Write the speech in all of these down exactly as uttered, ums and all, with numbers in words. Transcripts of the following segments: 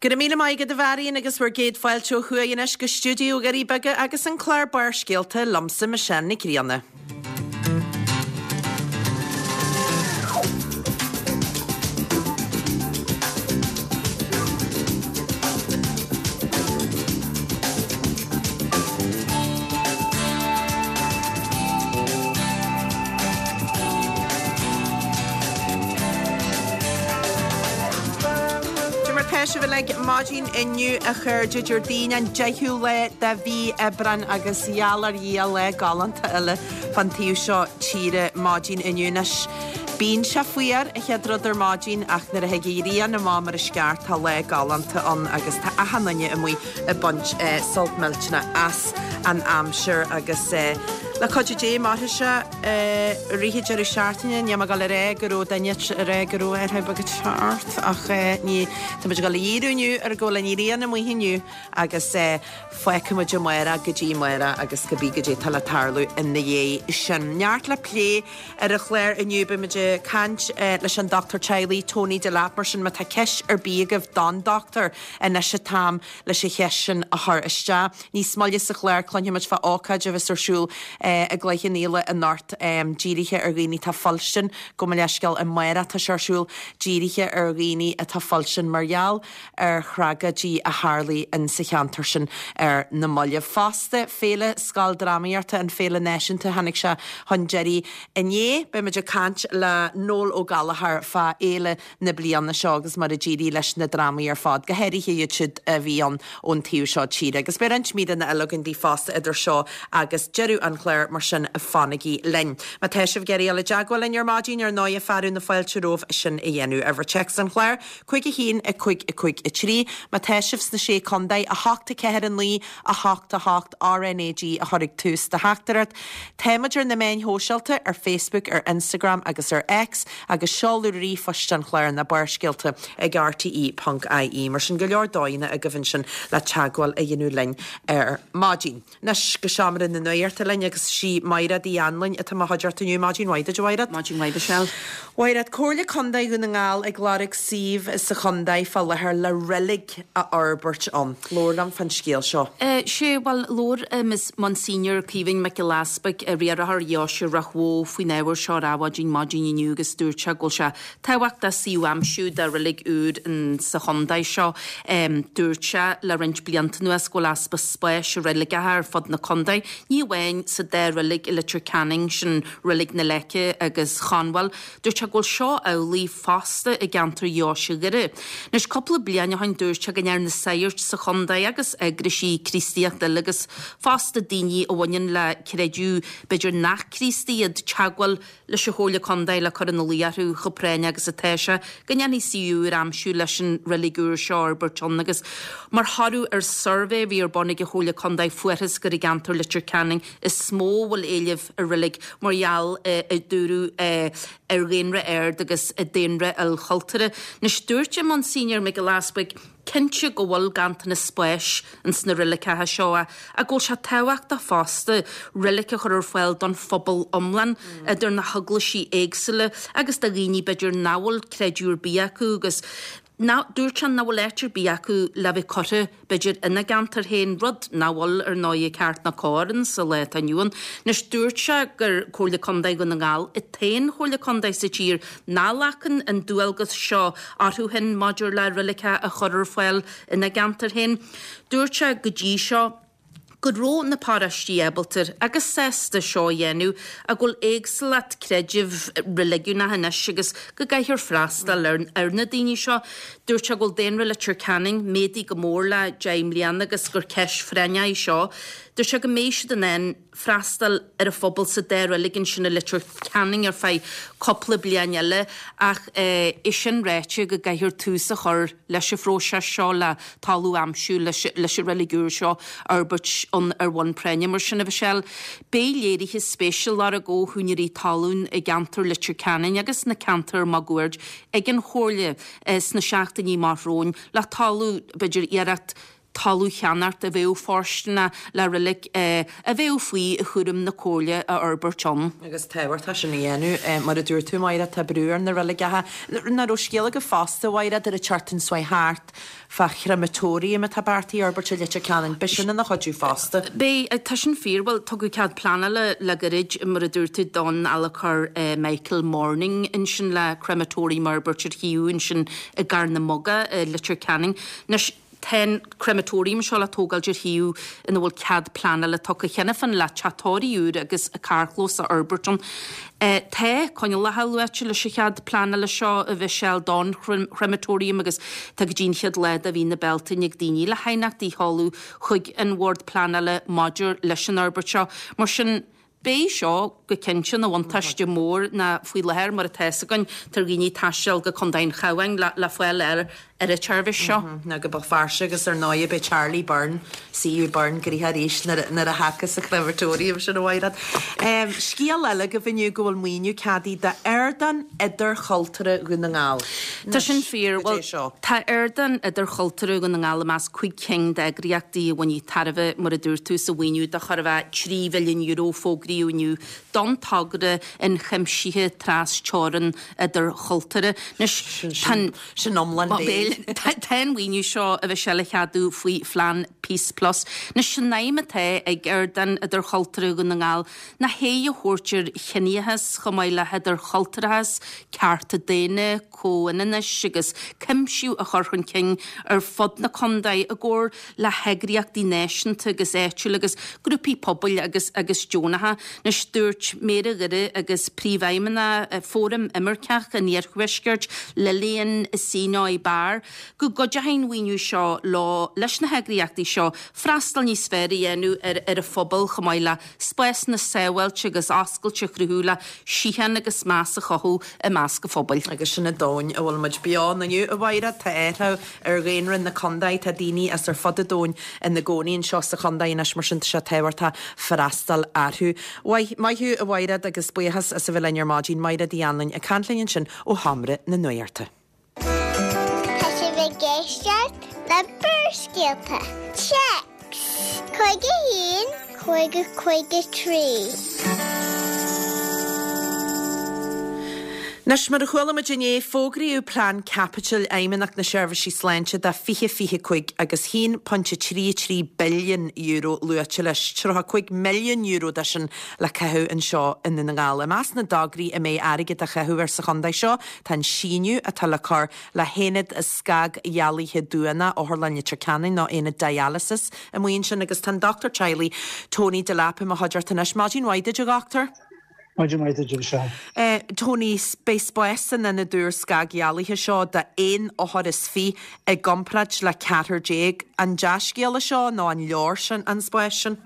Go raibh míle maith agat a Mharion agus bhur gcéad fáilte ó thuaidh anois go stiúideo Dhoirí Beaga agus an clár Barrscéalta liomsa Michelle Nic Grianna. Cad é mar tá sibh uilig maidin inniu a chairde Déardaoin an deichiú lá de mhí Aibreáin agus gheall ar Dhia lá galánta eile fan taobh seo tíre maidin inniu anois. Bíonn sé fuar an chéad rud ar maidin ach nuair a thig an ghrian amach mar is ceart tá lá galánta ann agus tá achan duine amuigh ag baint sult millteanach as an aimsir agus le cuidiú Dé mairfidh sé i rith an deireadh seachtaine. Níl mé ag dul a rá go raibh duine ag rá go raibh athrú beag ag teacht ach ní tá muid ag dul a dhíriú inniu ar go bhfuil an ghrian amuigh inniu agus fágfaidh muid amárach go dtí amárach agus cibé goidé atá le tarlú ina dhiaidh sin. Neart le plé ar an chlár inniu beidh muid ag caint leis an dochtúir teaghlaigh Tony Delap mar sin má tá ceist ar bith agaibh don dochtúir anois an t-am leis an cheist sin a chur isteach. Níos moille sa chlár cluinfidh muid fá ócáid a bheas ar siúl i gCloich Cheann Fhaola anocht dírithe ar dhaoine atá fuilstin gabh mo leithscéal amárach atá sé ar siúl dírithe ar dhaoine atá fuilstin mar gheall ar thragóidí a tharlaigh in sa cheantar sin ar na mallaibh. Fosta Féile Scoildrámaíochta an Féile Náisiúnta tháinig sé chun deiridh inné beidh muid ag caint le Noel Ó Gallchóir fá fhéile na bliana seo agus mar a d'éirigh leis na drámaí ar fad, go háirithe iad siúd a bhí ann ón taobh seo tíre. Agus beidh roinnt míreanna eile againn daoibh fosta idir seo agus deireadh an chláir mar sin fanaigí linn. Má tá sibh ag iarraidh dul i dteagmháil linn ar maidin ar ndóigh fearadh na fáilte romhaibh sin a dhéanamh. Uimhir téacs an chláir, cúig a haon a cúig a cúig a trí. Má tá sibh sna sé contae a hocht a ceathair a naoi a hocht a hocht RNAG a chur ag tús do theachtaireacht. Táimid ar na meáin shóisialta ar Facebook, ar Instagram agus ar X agus seoladh ríomhphoist an chláir ná barrscéalta ag RTE ponc IE. Mar sin go leor dóigheanna agaibh ansin le teagmháil a dhéanamh linn ar maidin. Anois go seomra na nuachta linn agus sí Mairéad Uí Anluain atá i mo chuideachta inniu maidin mhaith duit a Mhairéad. Maidin mhaith Michelle. Mhairéad, Comhairle Contae Dhún na nGall ag lorg suíomh sa chontae fá láthair le reilig a fhorbairt ann. Labhair liom fán scéal seo. Sé bhuel labhair Miss Monsignor Caoimhín Mac Giolla Easpaig riarthóir Dheoise Ráth Bhoth faoin ábhar seo ar Adhmhaidin maidin inniu agus dúirt sé go bhfuil sé tábhachtach suíomh a aimsiú do reilig úr in sa chontae seo. Dúirt sé le roinnt blianta anuas go bhfuil easpa spáis i reiligeacha ar fud na contae, ní amháin sa dá reilig i Leitir Ceanainn sin reilig na Leice agus Chonbhail. Dúirt sé go bhfuil seo amhlaidh fosta i gceantar Dheoise Dhoire. Anois cúpla bliain ó shin dúirt sé go ndearna na sagairt sa chontae agus eagraisí Críostaíochta eile agus fosta daoine a bhaineann le creideamh b'fhéidir nach Críostaí iad teagmháil leis an Chomhairle Contae le cur ina luí orthu chomh práinneach agus atá sé go ndéanfaí suíomh úr a aimsiú leis an reilig úr seo a fhorbairt ann agus mar thoradh ar suirbhé a bhí ar bun ag an Chomhairle Contae fuarthas gur i gceantar Leitir Ceanainn is mó a bhfuil éileamh ar reilig mar gheall a dúradh ar dhaonra ard agus daonra ilchultúrtha. Anois dúirt an Monsignor Mac Giolla Easpaig cinnte go bhfuil ganntanas spáis ins na reiligeacha seo ach go bhfuil sé tábhachtach fosta reilig a chur ar fáil don phobal iomlán idir na heaglaisí éagsúla agus do dhaoine b'fhéidir nach bhfuil creideamh ar bith acu agus ná dúirt sé nach bhfuil áit ar bith acu le bheith curtha b'fhéidir ina gceantar féin, rud nach bhfuil ar ndóigh ceart ná cóir in sa lá atá inniu ann. Anois dúirt sé gur Comhairle Contae Dhún na nGall an t-aon chomhairle contae sa tír nach nglacann an dualgas seo orthu féin maidir le reiligeacha a chur ar fáil ina gceantar féin. Dúirt sé go dtí seo go raibh na paróistí ábalta agus sásta seo a dhéanamh ach go bhfuil éagsúlacht creidimh reiligiúnach anois agus go gcaithfear freastal ar ar na daoine seo. Dúirt sé go bhfuil daonra Leitir Ceanainn méadaithe go mór le deich mbliana agus gur ceist phráinneach í seo. Dúirt sé go mbeidh siad in ann freastal ar an phobal sa dá reilig ansin i Leitir Ceanainn ar feadh cúpla bliain eile ach é sin ráite go gcaithfear tús a chur leis an phróiseas seo le talamh a aimsiú leis leis an reilig úr seo a fhorbairt ann ar bhonn práinne. Mar sin a Mhichelle, beidh léirithe spéise á lorg ó húinéirí talún i gceantar Leitir Ceanainn agus na ceantair máguaird ag an Chomhairle sna seachtainí amach romhainn le talamh b'fhéidir iarracht talamh a cheannacht a bheadh fóirsteanach le reilig a bheadh faoi chúram na Comhairle a fhorbairt ann. Agus tábhachtach sin a dhéanamh, mar a dúirt tú, Máire, tá brú ar na reiligeacha. Nach raibh scéal agaibh fosta, a Mháire, ar an tseachtain seo thart fá chrematorium atá beartaithe a fhorbairt i Leitir Ceanainn. Beidh sin ina chuidiú fosta. Beidh, tá sin fíor. Bhuel, tugadh cead pleanála le gairid, mar a dúirt tú, don adhlacóir Michael Morning ansin le crematorium a fhorbairt ar shuíomh ansin i gCarn na Muga i Leitir Ceanainn. Anois, tá an crematorium seo le tógáil ar shuíomh ina bhfuil cead pleanála tugtha cheana féin le teach tórraimh úr agus carrchlós a fhorbairt ann. Tá coinníollacha luaite leis an chead pleanála seo, a Mhichelle, don chrematorium agus tá go dtí an chéad lá de mhí na Bealtaine ag daoine le haighneachtaí a sheoladh chuig an Bhord Pleanála maidir leis an fhorbairt seo. Mar sin, Beidh seo go cinnte ina bhuntáiste mór ná faoi láthair mar atá fhios againn tá ar dhaoine taisteal go Contae an Chabháin le le fáil ar ar an tseirbhís seo. Nó go Béal Feirste agus ar ndóigh beidh Charlie Byrne, CU Byrne, gnoitheach arís nuair a nuair a thiocfas an crematorium sin a Mhaighread. Scéal eile agaibh inniu go bhfuil maoiniú ceadaithe d'Ardán Idirchultúrtha Dhún na nGall. Tá sin fíor. Cad é Bhuel, seo? tá Ardán Idirchultúrtha Dhún na nGall i measc cúig cinn d'eagraíochtaí a bhainfidh tairbhe, mar a dúirt tú, as an mhaoiniú de chóir a bheith trí mhilliún euro fógraíodh inniu don togra ionchuimsithe tras-teorann idirchultúrtha. Anois, tá an. Sin iomlán béil. Tá an mhaoiniú seo, a Mhichelle, le ceadú faoi phlean Peace Plus. Anois, an aidhm atá ag Ardán Idirchultúrtha Dhún na nGall ná haghaidh a thabhairt ar chiníochas chomh maith le hidirchultúrachas, cearta daonna, comhionannais agus cuimsiú a chur chun cinn ar fud na contae i gcomhar le heagraíochtaí náisiúnta agus áitiúla agus grúpaí pobail agus agus deonacha. Anois dúirt Méara Dhoire agus Príomhfheidhmeannach Fóram Imirceach an Iarthuaiscirt, Lillian Seenoi Barr, go gcuideoidh an mhaoiniú seo leo leis na heagraíochtaí seo freastal níos fearr a dhéanamh ar ar a phobal chomh maith le spásanna sábháilte agus oscailte a chruthú le síocháin agus meas a chothú i measc an phobail. Agus sin an domhan a bhfuil muid beo ann inniu, a Mháire. Tá athrú ar dhaonra na contae, tá daoine as ar fud an domhain ina gcónaí anseo sa chontae anois, mar sin tá sé tábhachtach freastal orthu. Maith maith thú, a Mháire, agus buíochas as a bheith linn ar maidin. Máire Uí Anluain ag caint linn ansin ó Sheomra na Nuachta. Tá sibh ag éisteacht le Barrscéalta. Téacs cúig a haon cúig a cúig a trí. Anois, mar a chuala muid inné, fógraíodh plean caipitil Fheidhmeannacht na Seirbhísí Sláinte do fiche fiche cúig agus haon pointe trí trí billiún euro luaite leis, tríocha cúig milliún euro de sin le caitheamh anseo i nDún na nGall. I measc na dtograí a mbeidh airgead á chaitheamh air sa chontae seo tá an síneadh atá le cur le haonad scagdhealaithe duanach Otharlann Leitir Ceanainn nó aonad dialysis amuigh ansin agus tá an dochtúir teaghlaigh Tony Delap i mo chuideachta anois. Maidin mhaith duit a dhochtúir. Maidin mhaith duit a Mhichelle. Tony, beidh spás san ionad úr scagdhealaithe seo d'aon othar is fiche i gcomparáid le ceathrar déag. An dea-scéal é seo nó an leor sin an spás sin?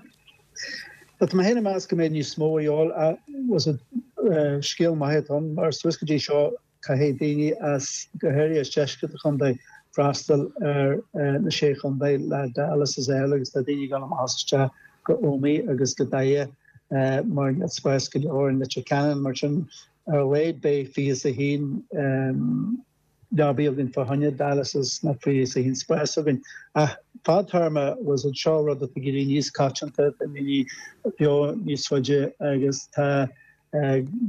Tá mé féin ag meas go mbeidh níos mó a dhíobháil. Was it scéal maith atá ann mar suas go dtí seo caithfidh daoine as, go háirithe as deisceart an chontae, freastal ar na sé chontae le dialysis a fháil agus tá daoine ag dul amach is isteach go Ómaigh agus go Doire mar níl spás go leor in Leitir Ceanainn. Mar sin, ar a laghad beidh fiche is a haon leabaí againn fá choinne dialysis nó fiche is a haon spás againn. Ach fadtéarma was it seo rud atá ag éirí níos coitianta, tá daoine beo níos faide agus tá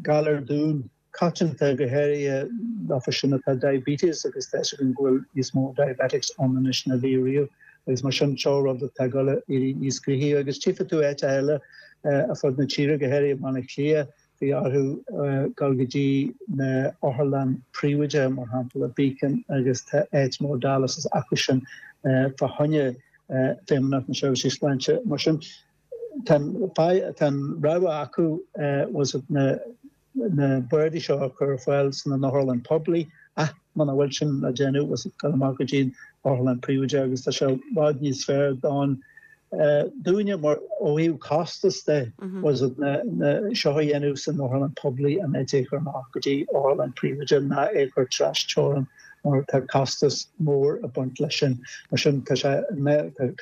galar dubh coitianta, go háirithe leofa sin atá diabetes agus tá fhios againn go bhfuil níos mó diabetics ann anois ná bhí riamh agus mar sin seo rud atá ag dul a éirí níos gnoithí agus tchífidh tú áiteacha eile ar fud na tíre, go háirithe i mBaile Átha Cliath, bhí orthu dul go dtí na otharlann príobháideacha mar shampla Beacon agus tá áit mór dialysis acu sin fá choinne Feidhmeannacht na Seirbhísí Sláinte mar sin tá an rogha acu was it na na boird seo a chur ar fáil san otharlann poiblí ach muna bhfuil sin le déanamh was it dul amach go dtí an otharlann príobháideach agus tá sé i bhfad níos fearr don dúinne mar ó thaobh costas de was it na na seo a dhéanamh san otharlann poiblí in áit é a chur amach go dtí otharlann príobháideach ná é a chur tras teorann mar tá costas mór ag baint leis sin. Mar sin tá sé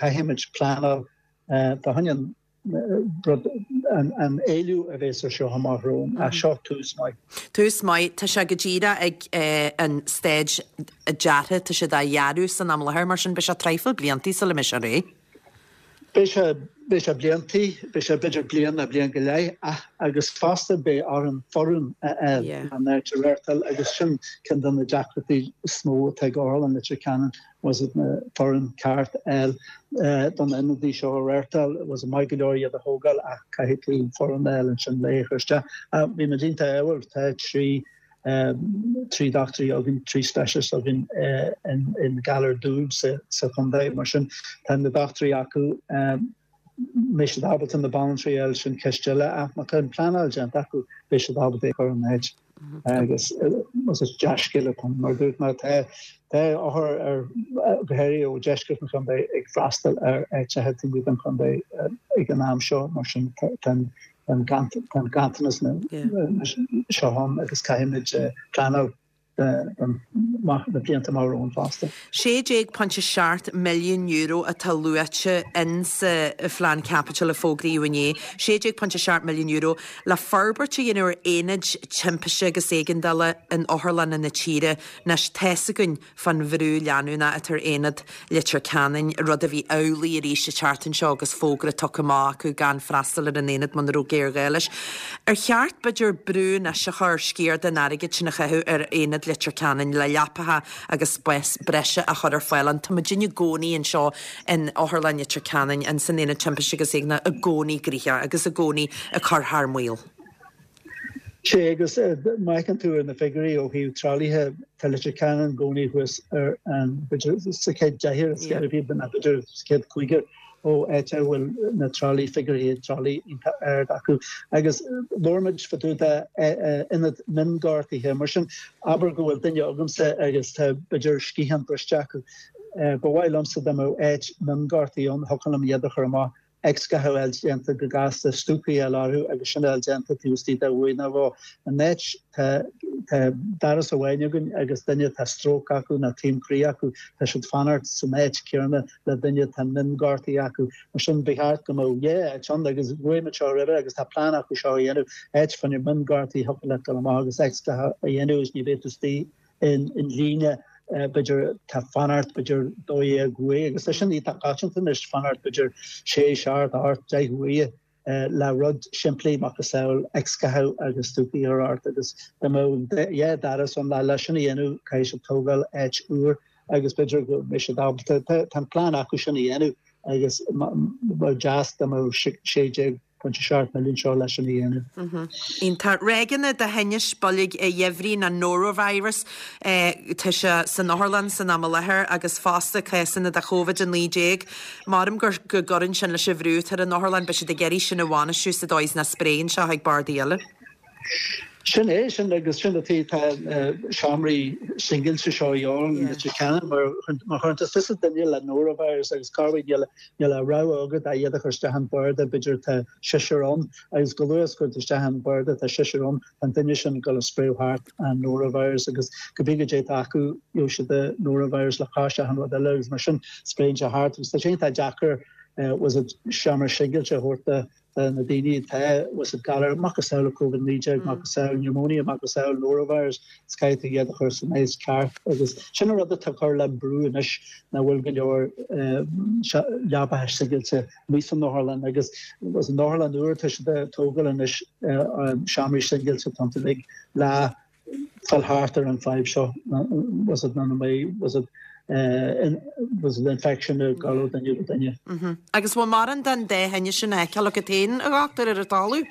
caithfimid pleanáil fá choinne an rud an éileamh a bheas ar seo amach romhainn, ach seo tús maith. Tús maith, tá sé go díreach ag an stage deartha, tá siad á dhearadh san am i láthair, mar sin beidh sé traidhfil bliantaí sula mbeidh sé réidh. Beidh sé, beidh sé bliantaí, beidh sé b'fhéidir bliain nó bliain go leith ach agus fosta beidh orainn foireann a fháil an áit a reáchtáil agus sin ceann de na deacrachtaí is mó atá ag Otharlann Leitir Ceanainn was it na foireann ceart a fháil don ionadaí seo a reáchtáil was it maith go leor iad a thógáil ach caithfidh tú foireann a fháil ansin le é a chur isteach. Bhí muid iontach ádhúil, tá trí trí dochtúirí againn, trí specialist againn in galar dubh sa chontae. Mar sin, tá na dochtúirí acu, mbeidh siad ábalta na banaltraí a fháil, sin ceist eile, ach má tá an pleanáil déanta acu, beidh siad ábalta é a chur in áit. Agus is dea-scéal atá ann, mar dúirt mé, tá tá othair ar, go háirithe ó dheisceart an chontae, ag freastal ar áiteacha taobh amuigh den chontae ag an am seo, mar sin tá an an ganntanas seo ann agus caithfimid pleanáil don na blianta amach romhainn fosta. sé déag pointe seacht milliún euro atá luaite in sa phlean caipitil a fógraíodh inné, sé déag pointe seacht milliún euro, le forbairt a dhéanamh ar aonaid timpiste agus éigeandála in otharlanna na tíre. Anois, tá's againn fán bhrú leanúnach atá ar aonad Leitir Ceanainn, rud a bhí amhlaidh arís an tseachtain seo agus fógra tugtha amach acu gan freastal ar an aonad muna raibh géarghá leis. Ar cheart, b'fhéidir, brú anois a chur sciar den airgead sin a chaitheamh ar aonad Leitir Ceanainn le leapacha agus spás breise a chur ar fáil ann? Tá muidinne i gcónaí anseo in Otharlann Leitir Ceanainn, in san aonad timpiste agus éigeandála i gcónaí gnoitheach agus i gcónaí ag cur thar maoil. Sea, agus má fheiceann tú ar na figiúirí ó thaobh tralaithe, tá Leitir Ceanainn i gcónaí thuas ar an, b'fhéidir, sa chéad deichniúr, is b'fhéidir sa chéad chúigear ó áit a bhfuil na tralaí, figiúirí tralaí iontach ard acu. Agus labhair muid fá dtaobh de ionad mionghortaithe, mar sin, abair go bhfuil duine agamsa agus tá, b'fhéidir, sciathán briste acu, ba mhaith liomsa dá mbeadh áit mionghortaithe ann, thiocfadh liom iad a chur amach X-ghathú a fháil déanta go gasta, stúcaí a fháil orthu agus sin a fháil déanta taobh istigh de uair nó dhó. An áit, tá tá doras amháin againn agus duine atá stróc acu nó taom croí acu, tá siad fanacht san áit céanna le duine atá mionghortaithe acu. Mar sin, ba cheart go mbeadh dhá áit ann agus luaigh muid seo roimhe agus tá plean acu seo a dhéanamh, áit fá choinne mionghortaithe thiocfadh leat dul amach agus X-ghathú a dhéanamh agus ní bheidh tú istigh in líne b'fhéidir tá fanacht b'fhéidir dó dhéag uair agus tá sin iontach coitianta anois fanacht b'fhéidir sé, seacht, ocht, deich uair le rud simplí macasamhail X-ghathú agus stúcaí a chur ort agus dá mbeadh dhá doras ann le leis sin a dhéanamh caithfidh siad tógáil áit úr agus b'fhéidir go mbeidh siad ábalta tá an plean acu sin a dhéanamh agus ba deas dá mbeadh sé déag pointe seacht milliún seo leis sin a dhéanamh. Iontach. Ráigeanna de thinnis boilg an gheimhridh nó norovirus, tá sé san otharlann san am i láthair agus fosta cásanna de Covid a naoi déag. Maram go gcuireann sin leis an bhrú atá ar an otharlann, beidh siad ag iarraidh sin a bhainistiú sa dóigh is nach spréann sé chuig bardaí eile. Sin é, sin agus sin an tuige tá na seomraí singilte seo i Leitir Ceanainn mar má chuireann tú suas duine le norovirus agus corruair níl níl a rogha agat ach iad a chur isteach an barda b'fhéidir tá seisear ann agus chomh luath is cuireann tú isteach an barda tá seisear ann tá an duine sin ag dul a spréadh thart an norovirus agus cibé goidé atá acu gheobhaidh siad an norovirus le cois achan rud eile agus mar sin spréann sé thart agus tá sé iontach deacair was it seomra singilte a thabhairt do do na daoine atá was it galar macasamhail Covid naoi déag, macasamhail pneumonia, macasamhail norovirus, is caithfidh tú iad a chur san áit ceart agus sin an rud atá ag cur le brú anois nach bhfuil go leor leapacha singilte amuigh san otharlann agus was an otharlann úr tá siad ag tógáil anois seomraí singilte tá uilig le fáil thart ar an fadhb seo was it none mbeidh was it was it infection ag dul ó duine go duine. Agus bhfuil mórán den dá thinneas sin á fheiceáil agat féin, a dhochtúir, ar an talamh?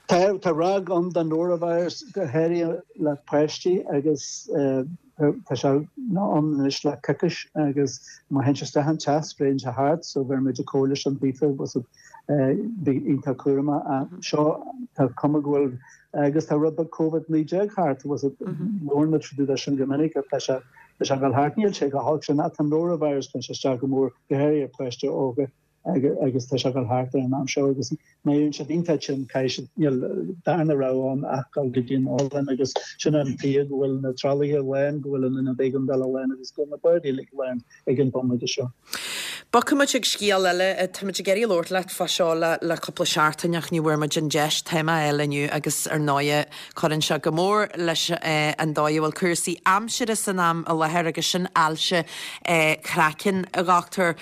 Tá, tá ráig ann den norovirus go háirithe le páistí agus tá sé ann anois le coicís agus má théann sé isteach an teach spréann sé thart so bheir muid an comhairle sin daofa was it bí iontach cúramach ach seo tá cuma go bhfuil agus tá rud beag Covid naoi déag thart, was it, labhrann muid fá dtaobh de sin go minic ach tá sé tá sé ag dul thart, níl sé chomh holc sin ach tá norovirus tá sé isteach go mór go háirithe ar pháistí óga agus tá sé ag dul thart ar an am seo agus má éiríonn siad iontach tinn caithfidh siad níl darna rogha ann ach dul go dtí an otharlann agus sin an tuige go bhfuil na tralaithe lán, go bhfuil an ionad éigeandála lán agus go bhfuil na bardaí uilig lán ag an bomaite seo. Bogfaidh muid ag scéal eile. Tá muid ag iarraidh labhairt leat fá seo le le cúpla seachtain ach ní bhfuair muid an deis. Téama eile inniu agus ar ndóighe cuireann sé go mór leis an dóigh a bhfuil cúrsaí aimsire san am i láthair agus sin ailse craicinn, a dhochtúir.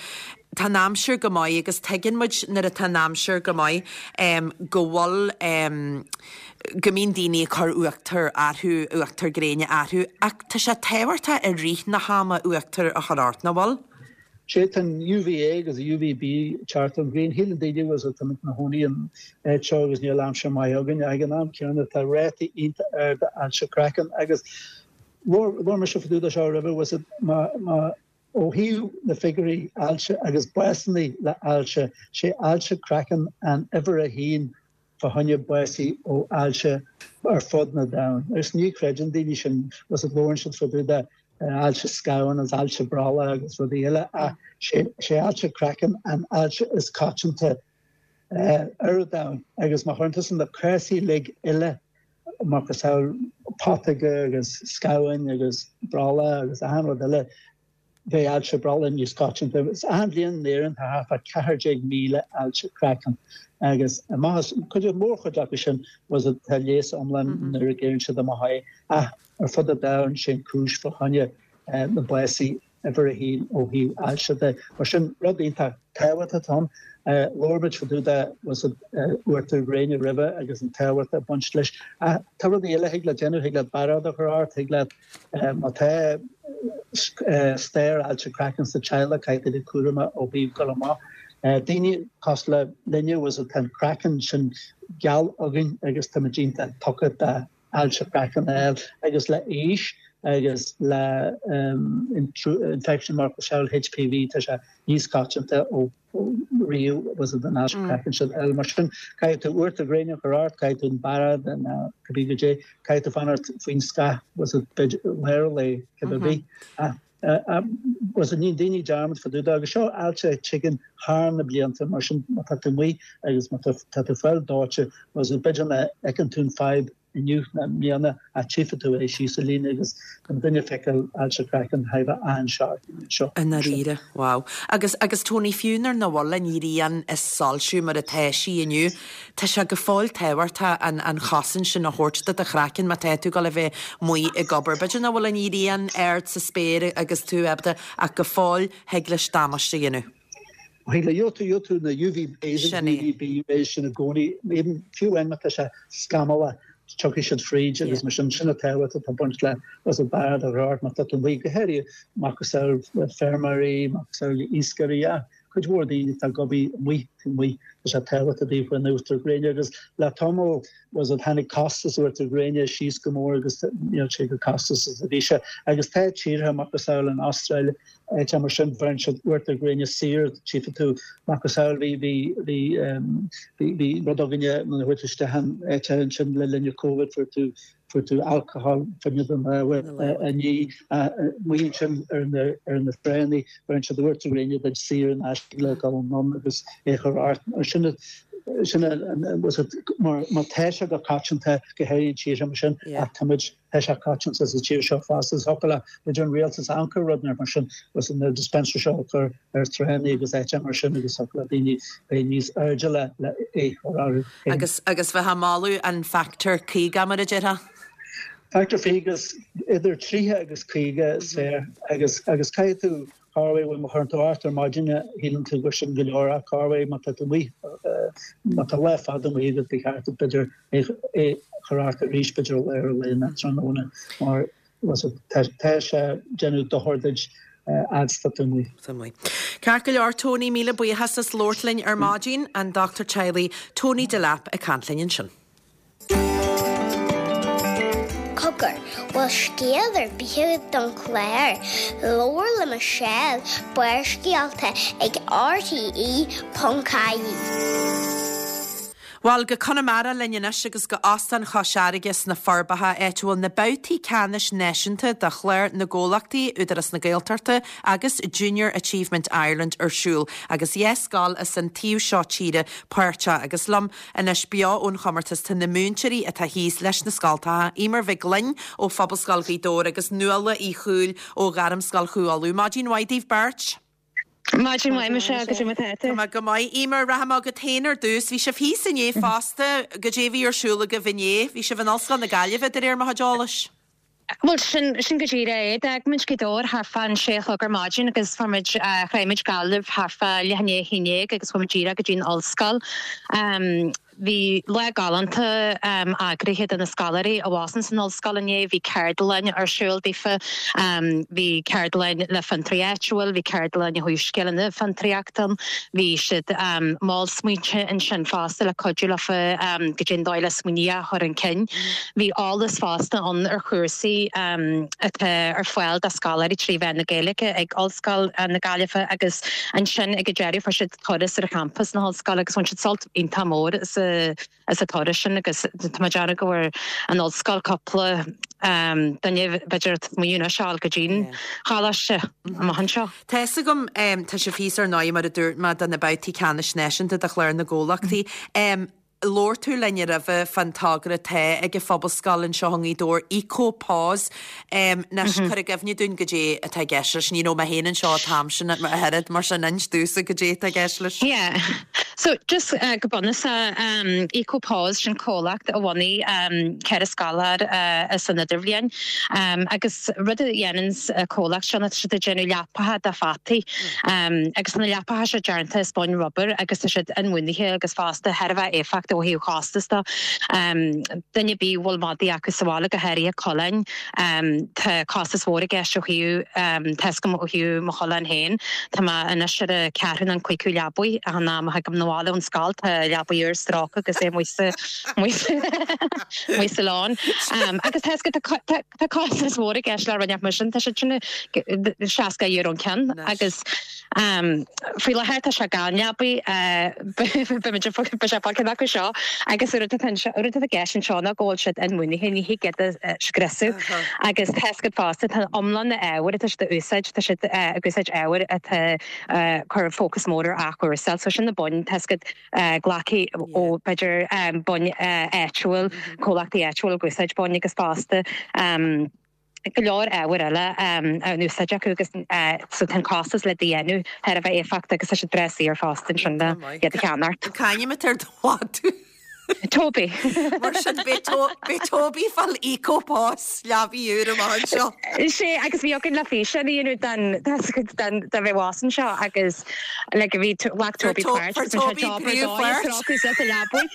Tá an aimsir go maith agus tuigeann muid nuair atá an aimsir go maith go bhfuil go mbíonn daoine ag cur uachtar orthu, uachtar gréine orthu ach tá sé tábhachtach i rith na hama uachtar a chur ort, nach bhfuil? Sé tá an UVA agus UVB ag teacht ón ghrian. Shíleann daoine bhfuil tá muid ina chónaí an áit seo agus níl aimsir maith againn. Ag an am céanna tá rátaí iontach arda ailse craicinn agus labhair mise fá dtaobh de seo roimhe bhfuil fhios má má ó thaobh na figiúirí ailse agus básanna le ailse sé ailse craicinn an uimhir a haon fá choinne básaí ó ailse ar fud na domhain. Agus ní chreideann daoine sin bhfuil fhios labhrann siad fá dtaobh de ailse scamhán agus ailse brollaigh agus rudaí eile ach sé ailse craicinn an ailse is coitianta ar an domhan agus má chuireann tusa na cásaí uilig eile macasamhail putóga agus scamháin agus brollach agus achan rud eile bheadh ailse brollaigh níos coitianta. Agus achan bhliain in Éirinn tá thart fá ceathair déag míle ailse craicinn agus amach as cuid mórchuid acu sin was tá leigheas iomlán nuair a ghéarrann siad amach é ach ar fud an domhain sé an cúis fá choinne na básaí uimhir a haon ó thaobh ailse de. Mar sin rud iontach tábhachtach atá ann. Labhair muid fá dtaobh de was uachtar gréine roimhe agus an tábhacht ag baint leis. Ach tá rudaí eile thig leat déanamh, thig leat bairéad a chur ort, thig leat má tá stair ailse craicinn sa teaghlach caithfidh tú bheith cúramach ó thaobh dul amach. Daoine cosúil le linne was tá an craiceann sin geal againn agus tá muid iontach tugtha d'ailse craicinn a fháil agus le aois agus le infection macasamhail HPV tá sé níos coitianta ó riamh was an ailse craicinn sin a fháil. Mar sin caithfidh tú uachtar gréine a chur ort, caithfidh tú an bairéad nó cibé goidé, caithfidh tú fanacht faoin scáth was b'fhéidir lár an lae cibé bith. Was níonn daoine dearmad fá dtaobh de agus seo ailse a tigeann thar na blianta mar sin má tá tú amuigh agus má tá tú ag fáil dóite was b'fhéidir nach bhfeiceann tú an fadhb inniu nó i mbliana ach tchífidh tú é síos an líne agus an duine ag feiceáil ailse craicinn thar a bheith an-sharp seo. I ndáiríre, wow. Agus, agus Tony, fiú nuair nach bhfuil an ghrian ag soilsiú mar atá sí inniu, tá sé go fóill tábhachtach an, an chosaint sin a thabhairt do do chraiceann má tá tú ag dul a bheith amuigh ag obair. B'fhéidir nach bhfuil an ghrian ard sa spéir agus tú ábalta ach go fóill thig leis damáiste a dhéanamh. Thig le gheobhaidh tú gheobhaidh tú na UV rays agus Sin é. UVB rays sin i gcónaí, even fiú amháin má tá sé scamallach tiocfaidh siad fríd agus mar sin, sin an tábhacht atá ag baint le was it bairéad a chur ort má tá tú amuigh, go háirithe macasamhail le feirmeoirí, macasamhail le iascairí, ach cuid mhór daoine atá ag obair amuigh taobh amuigh, tá sé tábhachtach daofa an uachtar gréine agus le tamall was it tháinig costas uachtar gréine síos go mór agus níl sé chomh costasach is a bhí sé agus tá tíortha macasamhail an Astráil áiteacha mar sin bheireann siad uachtar gréine saor tchífidh tú macasamhail bhí bhí bhí bhí bhí rud againne nuair a chuaigh tú isteach in áit ansin le linn Covid fuair tú fuair tú alcohol fá choinne do lámha a ní amuigh ansin ar na ar na tránna bheireann siad uachtar gréine duit saor in aisce le dul anonn agus é a chur ort mar sin sin was it mar má tá sé go coitianta go háirithe in tíortha mar sin ach tá muid tá sé coitianta sa tír seo fosta is thiocfadh le b'fhéidir an rialtas amharc ar rud mar sin was na dispensary seo a chur ar tránna agus áiteacha mar sin agus thiocfadh le daoine bheith níos airde le le é a chur orthu féin. Agus agus bheith ag moladh an factor caoga mar a déarfá? Factor fiche idir tríocha agus caoga is fearr agus agus caithfidh tú Corruair bhuel má chuireann tú ort ar maidin shíleann tú gur sin go leor ach corruair má tá tú amuigh má tá lá fada amuigh agat ba cheart duit b'fhéidir é a chur ort arís b'fhéidir i lár an lae nó tráthnóna mar tá tá sé ag déanamh dochar duit fhad is tá tú amuigh. Tá amuigh. Ceart go leor Tony, míle buíochas as labhairt linn ar maidin, an dochtúir teaghlaigh Tony Delap ag caint linn ansin. Cogar, bhfuil scéal ar bith agat don chlár? Labhair le Michelle, Barrscéalta ag RTE ponc ie. Bhuel, go Conamara linn anois agus go Óstán Chois Fharraige sna Forbacha, áit a bhfuil na babhtaí ceannais náisiúnta de Chlár na gComhlachtaí, Údarás na Gaeltachta agus Junior Achievement Ireland ar siúl agus dhá scoil as an taobh seo tíre páirteach agus liom Anois beo ón chomórtas tá na múinteoirí atá thíos leis na scoltacha, Eimear Mhic Gloinn ó Phobalscoil Ghaoth Dobhair agus Nuala Uí Chúil ó Ghairmscoil Chú Uladh. Maidin mhaith daoibh beirt! Maidin mhaith Michelle goidé mar atá tú. Tá mé go maith. Eimear, rachaidh mé chugat féin ar dtús. Bhí sibh thíos inné fosta, goidé a bhí ar siúl agaibh inné. Bhí sibh in Ollscoil na Gaillimhe de réir mo chuid eolais. Bhuel sin sin go díreach é. D'fhág muid Gaoth Dobhair thart fán sé a chlog ar maidin agus fuair muid shroich muid Gaillimh thart fá leath i ndiaidh a haon déag agus chuaigh muid díreach go dtí an ollscoil. Bhí lá galánta eagraithe do na scoláirí abhus san ollscoil inné, bhí ceardlann ar siúl daofa, bhí ceardlann le fiontraí áitiúil, bhí ceardlann ó thaobh scileanna fiontraíochta ann, bhí siad mol smaointe ansin fosta le cuidiú leofa goidé an dóigh le smaoineamh a chur chun cinn. Bhí eolas fosta ann ar chúrsaí atá ar fáil do scoláirí trí mheán na Gaeilge ag Ollscoil na Gaillimhe agus ansin ag an deireadh fuair siad turas ar champas na hollscoile agus bhain siad sult iontach mór as as an turas sin agus tá mé ag déanamh go bhfuair an ollscoil cúpla duine b'fhéidir smaoineamh anois a fháil go dtí'n choláiste amach anseo. Tá fhios agam, tá sibh thíos ar ndóigh mar a dúirt mé do na babhtaí ceannais náisiúnta de Chlár na gComhlachtaí. Labhair tú linn roimhe fán togra atá ag an Phobalscoil anseo i nGaoth Dobhair, Eco Paws. Anois cuir i gcuimhne dúinn goidé atá i gceist leis. Ní raibh mé féin anseo an t-am sin ach oiread, mar sin inis domhsa goidé atá i gceist leis. Yeah. So just uh, go bunúsach um, Eco Paws sin comhlacht a bhunaigh um, ceithre scoláire uh, as an idirbhliain um, agus rud a dhéanann uh, comhlacht seo ná tá siad ag déanamh leapacha do pheataí um, agus na leapacha seo déanta as boinn rubber agus tá siad inbhuanaithe agus fosta thar a bheith éifeachtach ó thaobh costas de. Um, duine ar bith a bhfuil madaí acu sa bhaile go háirithe coileáin um, tá costas mhór i gceist ó thaobh um, tá fhios agam ó thaobh mo choileán féin Tá mé anois ar an ceathrú nó an cúigiú leabaidh an am a thagaim na bhaile ón scoil tá leabaidh úr stróicthe agus é amuigh sa amuigh sa lán. Um, agus tá tá tá costas mhór i gceist le rinneach mar sin tá sé sin seasca euro an ceann agus um, faoi láthair tá sé gan leabaidh be acu seo agus rud atá i gceist anseo ná go bhfuil siad inbhuanaithe ní thig iad a scriosadh agus tá siad fosta tá iomlán na ábhair atá siad a úsáid tá siad ag úsáid ábhair atá cur fócas mór ar athchúrsáil so sin na boinn tá siad glactha ó b'fhéidir boinn áitiúil comhlachtaí áitiúil ag úsáid boinn agus fosta go leor ábhair eile á n-úsáid acu agus so tá an costas le déanamh thar a bheith éifeachtach agus tá siad breá saor fosta ansin le iad a cheannacht. C'ainm atá ar do mhadadh? Toby. Mar sin beidh Toby ag fáil Eco Paws leabaidh úr amach anseo. Sé agus bhí againn le físeán a dhéanamh den den den bheith abhus anseo agus le go bhí ghlac Toby páirt Fuair Toby príomhpháirt. leabaidh.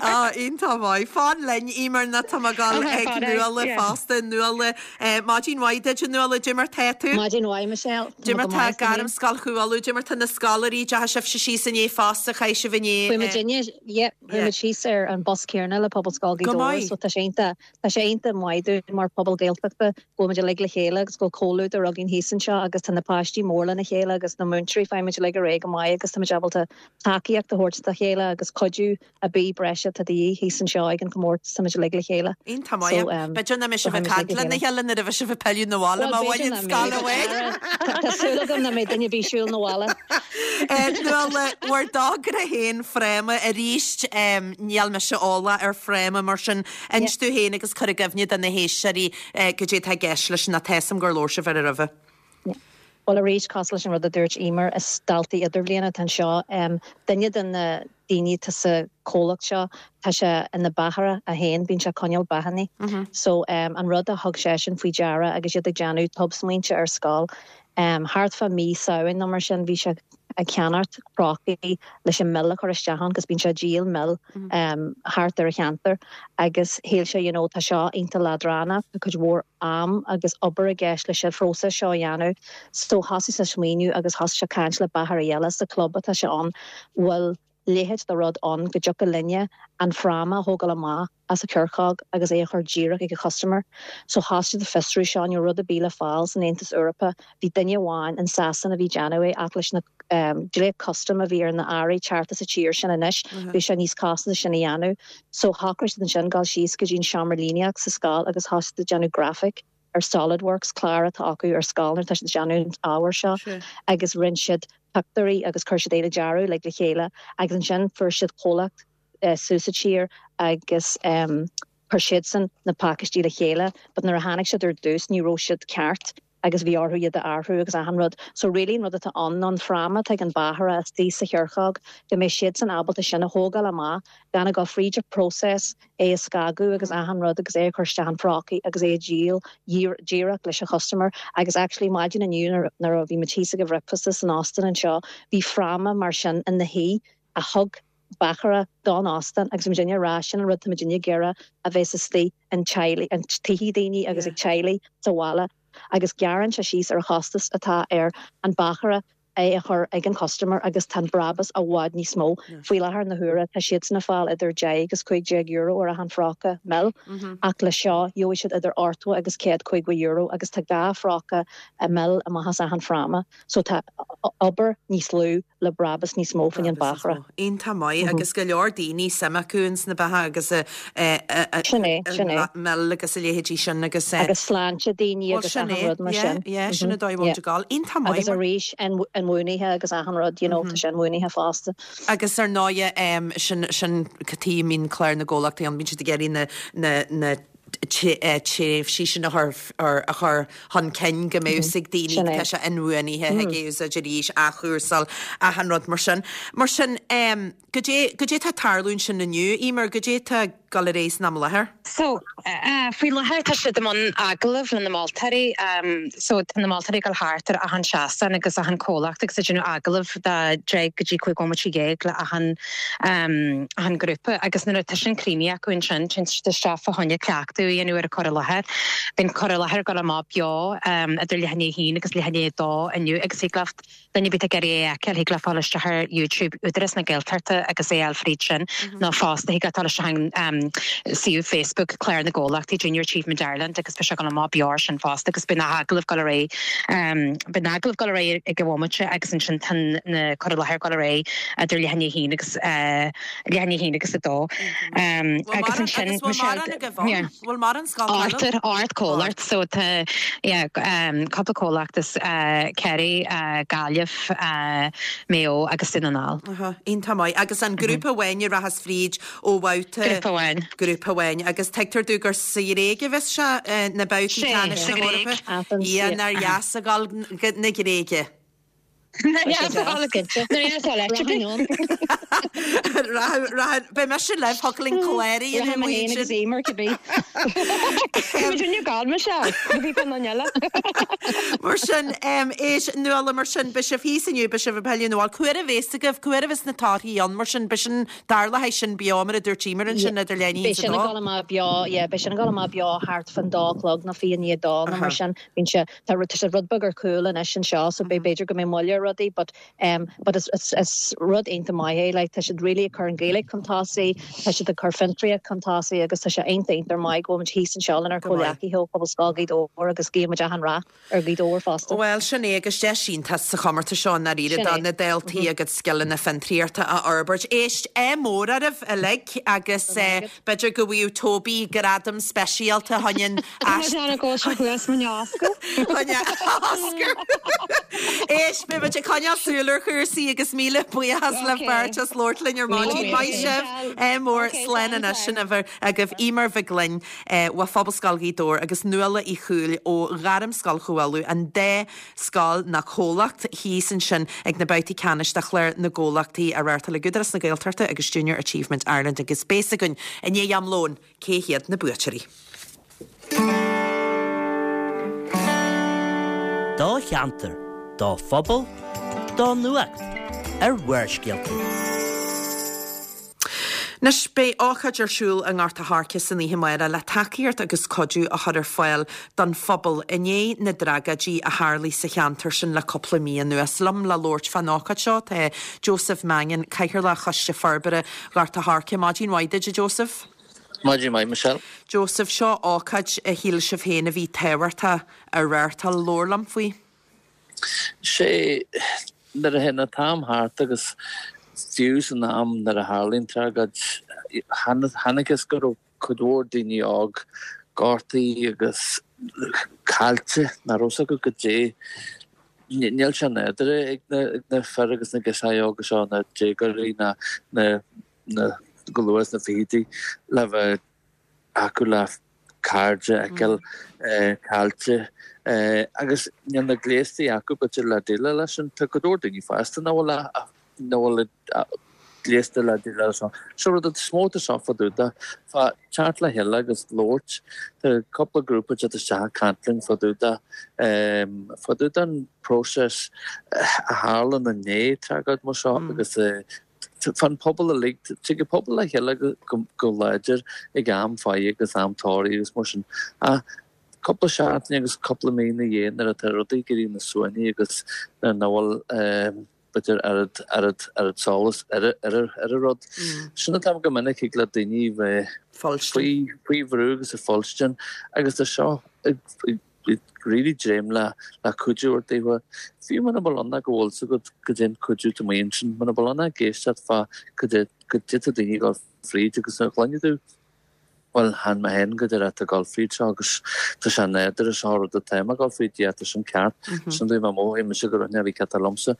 Á iontach maith. Fan linn Eimear nó tá mé ag dul ag Nuala fosta Nuala Maidin mhaith duit a Nuala goidé mar tá tú? Maidin mhaith Michelle. Goidé mar tá Gairmscoil Chú Uladh, goidé mar tá na scoláirí deachaigh sibhse síos inné fosta chaith sibh inné. Chuaigh muid inné yeah, chuaigh muid síos ar an bus céanna le Pobalscoil Ghaoth Go Dobhair maith. so tá sé iontach tá sé iontach maith dúinn mar pobal Gaeltachta go bhfuil muid uilig le chéile agus go bhfuil comhluadar againn thíos anseo agus tá na páistí mór lena chéile agus na múinteoirí faighimid uilig ar aghaidh go maith agus tá muid ábalta tacaíocht a thabhairt dá chéile agus cuidiú ar bith breise atá de dhíth thíos anseo ag an chomórtas tá muid uilig le chéile. Iontach maith. So, um, B'fhéidir nach mbeidh sibh ag so caint lena chéile nuair a bheidh sibh ag pilleadh na bhaile má bhaineann scoil amháin. Tá súil agam nach mbeidh duine ar bith ag siúl na bhaile. Nuala bhur dtogra féin Fráma arís níl mise eolach ar Fráma mar sin inis tú féin agus cur i gcuimhne do na héisteoirí goidé atá i gceist leis na tésam gur labhair sibh air roimhe. Well arís cosúil leis an rud a dúirt Eimear is daltaí idirbhliana atá anseo um, duine de na daoine atá sa comhlacht seo tá sé ina beachaire é féin bíonn sé ag coinneáil beachanna. So um, an rud a thug sé sin faoi deara agus iad ag déanamh tobsmaointe ar scoil. Um, thart fá mí Samhain nó mar sin bhí sé ag ceannacht prátaí leis an mil a chur isteach ann, agus bíonn sé ag díol mil um, thart ar a cheantar agus shíl sé you know, tá seo iontach leadránach tá cuid mhór am agus obair i gceist leis an phróiseas seo a dhéanamh so thosaigh sé smaoineamh agus thosaigh sé caint le beachairí eile sa club atá sé ann bhfuil leithéid de rud ann go dtiocfadh linne an fráma a thógáil amach as a chiorcóg agus é a chur díreach ag a customer. So thosaigh siad ag fiosrú seo ní rud a bhí le fáil san Aontas Eorpach bhí duine amháin in Sasana a bhí ag déanamh é ach leis na um, dlíthe custom a bhí ar na hearraí teacht sa tír sin anois bhí sé níos costas sin a dhéanamh. So shocraigh siad ansin dul síos go dtí an seomra líníocht sa scoil agus thosaigh siad ag déanamh graphic ar SolidWorks clár atá acu ar scoil tá siad ag déanamh an ábhar seo agus rinne siad pictiúirí agus chuir siad é le dearadh le le chéile agus ansin fuair siad comhlacht uh, suas sa tír agus um, chuir siadsan na pacáistí le chéile, but nuair a tháinig siad ar dtús ní raibh siad ceart. agus bhí orthu iad a athrú agus achan rud. So really an rud atá ann ná an fráma atá ag an báchaire istigh sa chiorcóg go mbeidh siadsan ábalta sin a thógáil amach gan a ghabháil fríd an process é a scagadh agus achan rud agus é a chur isteach in phrócaí agus é a dhíol díreach leis an customer agus actually maidin inniu nuair a bhí muid thíos ag an bhricfeasta san óstán anseo bhí fráma mar sin ina shuí a thug báchaire don óstán agus muidinne ag rá sin an rud tá muidinne ag iarraidh a bheith istigh in teaghlaigh in tithe daoine agus ag teaghlaigh sa bhaile agus gearrann sé síos ar chostas atá ar an báchaire é a chur ag an customer agus tá an brabús i bhfad níos mó. Faoi láthair na huaire tá siadsan ag fáil idir deich agus cúig déag euro ar achan phróca mil ach le seo gheobhaidh siad idir ochtó agus céad caoga euro agus tá dhá phróca mil amach as achan fráma so tá obair níos lú le brabús níos mó faoin báchaire. Iontach maith agus go leor daoine suim acu ins na beatha agus Sin é, sin é. mil agus a leithéidí sin agus Agus sláinte daoine agus sin achan rud mar sin. Yeah, sin a dóigh bhfuil gáil. Iontach maith. Agus arís inbhuanaithe agus achan rud, you know, tá sé inbhuanaithe fosta. Agus ar ndóighe sin sin cad chuige a mbíonn clár na gcomhlachtaí ann, bíonn siad ag iarraidh na na na tréimhsí sin a chur a chur chun cinn go mbeadh ag daoine tá sé inbhuanaithe ag úsáid arís athchúrsáil achan rud mar sin. Mar sin goidé goidé tá ag tarlú ansin inniu, Emer, goidé tá ag dul ar aghaidh san am i láthair? So faoi láthair tá siad i mbun agallamh le na moltóirí so tá na moltóirí ag dul thart ar achan seastán agus achan comhlacht agus ag déanamh agallamh de deich go dtí cúig nóiméad déag le achan achan grúpa agus nuair atá sin críochnaithe acu ansin téann siad isteach fá choinne cleachtadh a dhéanamh ar an cur i láthair. Bíonn cur i láthair ag dul amach beo idir leath i ndiaidh a haon agus leath i ndiaidh a dó inniu agus thig leat duine ar bith ag iarraidh é a fheiceáil thig leat fáil isteach ar YouTube Údarás na Gaeltachta agus é a fháil fríd sin nó fosta thig leat dul isteach an suíomh Facebook Clár na gComhlachtaí Junior Achievement Ireland agus beidh sé ag dul amach beo sin fosta agus beidh na hagallaimh ag dul ar aghaidh beidh na hagallaimh ag dul ar aghaidh ag an bhomaite agus ansin tá na cur i láthair ag dul ar aghaidh idir leath i ndiaidh a haon agus leath i ndiaidh a haon agus a dó. Agus ansin Bhfuil mar an scoil Art art comhlacht so tá yeah, um, cúpla comhlacht is uh, Kerry, uh, Gaillimh, uh, Mayo agus Dún na nGall. Iontach maith agus an grúpa amháin a rachas fríd ó bhabhta Grúpa amháin. Grúpa amháin agus tuigtear domh gur sa Ghréig a bheas sé na babhtaí ceannais na hEorpa. Ia nár dheas a ghabháil na Gréige. Beidh mise libh thiocfadh linn clár a dhéanamh amuigh ansin. Agus Emer cibé. Rinne gal me se, bhí fan an eile. Mar sin éis Nuala mar sin beidh sibh thíos inniu beidh sibh ag pilleadh nó cá huair a bheas agaibh cá huair a bheas na torthaí ann mar sin beidh sin tarlaithe sin beo mar a dúirt Emer ansin idir leath i ndiaidh Beidh sin ag dul amach beo, yeah, beidh sin ag dul amach beo thart fan dá chlog nó fiche i ndiaidh a dó nó mar sin. Bíonn sé tá sé rud beag ar cúl anois anseo so beidh b'fhéidir go mbeidh moill ar rudaí but um, but is, is, is rud iontach maith é like, tá siad really ag cur an Ghaeilge chun tosaigh, tá siad ag cur fiontraíocht chun tosaigh agus tá sé iontach iontach maith go bhfuil muid thíos anseo lenár gcomhghleacaithe ó Phobalscoil Ghaoth Dobhair agus guímid achan rath ar Ghaoth Dobhair fosta. Well sin é agus deis iontach sa chomórtas seo dáiríre do na daltaí agus scileanna fiontraíochta a fhorbairt. Éist ádh mór oraibh uilig agus b'fhéidir go bhfuil Toby gradam speisialta chuin Oscar. Éist beimid ag coinneáil súil ar chúrsaí agus míle buíochas le beirt as labhairt linn ar maidin. Maith sibh ádh mór slán anois sin a bheith agaibh Emer Mhic Gloinn ó Phobalscoil Ghaoth Dobhair agus Nuala Uí Chúil ó Ghairmscoil Chomhbhaile an dá scoil na comhlacht thíos ansin ag na babhtaí ceannais de chlár na gcomhlachtaí á reáchtáil ag Údarás na Gaeltachta agus Junior Achievement Ireland agus beidh a fhios againn i ndiaidh am lóin cé hiad na buaiteoirí. Do cheantar, do phobal, do nuacht ar Bharrscéalta. Anois beidh ócáid ar siúl i nGort a' Choirce san oíche amárach le tacaíocht agus cuidiú a chur ar fáil don phobal i ndiaidh na dtragóidí a tharlaigh sa cheantar sin le cúpla mí anuas. Liom le labhairt fán ócáid seo tá Joseph Mannion, Cathaoirleach Choiste Forbartha Ghort a' Choirce. Maidin mhaith duit, Joseph. Maidin mhaith Michelle. Joseph seo ócáid a shíl sibh féin a bhí tábhachtach a reáchtáil labhair liom faoi. Sé nuair a théann an t-am thart agus fiú san am nuair a tharlaíonn tragóid chonacthas go raibh cuid mhór daoine óg gortaithe agus caillte nach raibh acu goidé. Níl sé nádúrtha ag na, ag na fir agus na girseachaí óga seo na déagóirí na na na go luath sna fichidí le bheith acu le cairde a fheiceáil caillte Agus níl na gléastaí acu b'fhéidir le déileáil leis sin. Tá go leor daoine fásta nach bhfuil nach bhfuil gléasta le déileáil leis seo. So rud is mó atá seo fá dtaobh de, fá teacht le chéile agus labhairt. Tá cúpla grúpa ag teacht isteach ag caint linn fá dtaobh de, fá dtaobh den próiseas a tharlann i ndiaidh tragóid mar seo agus fán pobal uilig. Tig an pobal le chéile go láidir ag am faire agus am tórraimh agus mar sin. Ach cúpla seachtain agus cúpla mí ina dhiaidh nuair atá rudaí ag éirí níos suaimhní agus nuair nach bhfuil b'fhéidir oiread, oiread, oiread solas ar, ar, ar an rud. Sin an t-am go minic thig le daoine bheith faoi, faoi bhrú agus ag fuilstin agus tá seo ag, ag, ag really dréim le, le cuidiú a thabhairt daofa. Fiú muna bhfuil ann go bhfuil 's agat goidé an cuidiú atá amuigh ansin, muna bhfuil ann ach éisteacht fá goidé, goidé tá daoine ag dul fríd agus nuair a chluineann tú Bhuel, chan mé féin go díreach atá ag dul fríd seo agus tá sé nádúrtha seo rud atá mé ag dul fríd, yeah, tá sin ceart. Sin dóigh má mhothaigh mise go raibh neamh ceart liomsa.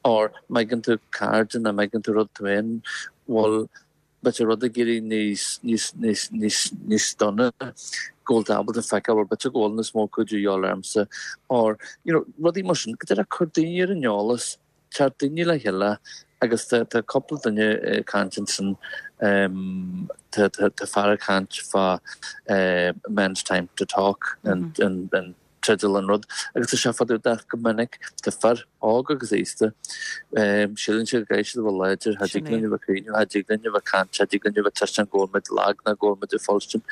Or má fheiceann tú cairde nó má fheiceann tú rud tú féin, bhuel, b'fhéidir rud ag éirí níos, níos, níos, níos, níos dona, go bhfuil tú ábalta feiceáil, bhuel, b'fhéidir go bhfuil níos mó cuidiú a dhíobháil ormsa. Or, you know, rudaí mar sin, go díreach cur daoine ar an eolas. Teacht daoine le chéile agus tá tá cúpla duine ag caint ansin tá tá tá fear ag caint fá men's time to talk an an an teideal an rud agus tá sé fá dtaobh de go minic tá fir óg agus aosta síleann siad go gcaithfidh siad a bheith láidir cha dtig linn a bheith ag caoineadh cha dtig linn a bheith ag caint cha dtig linn a bheith tuiscint go bhfuil muid lag ná go bhfuil muid ag fuilstin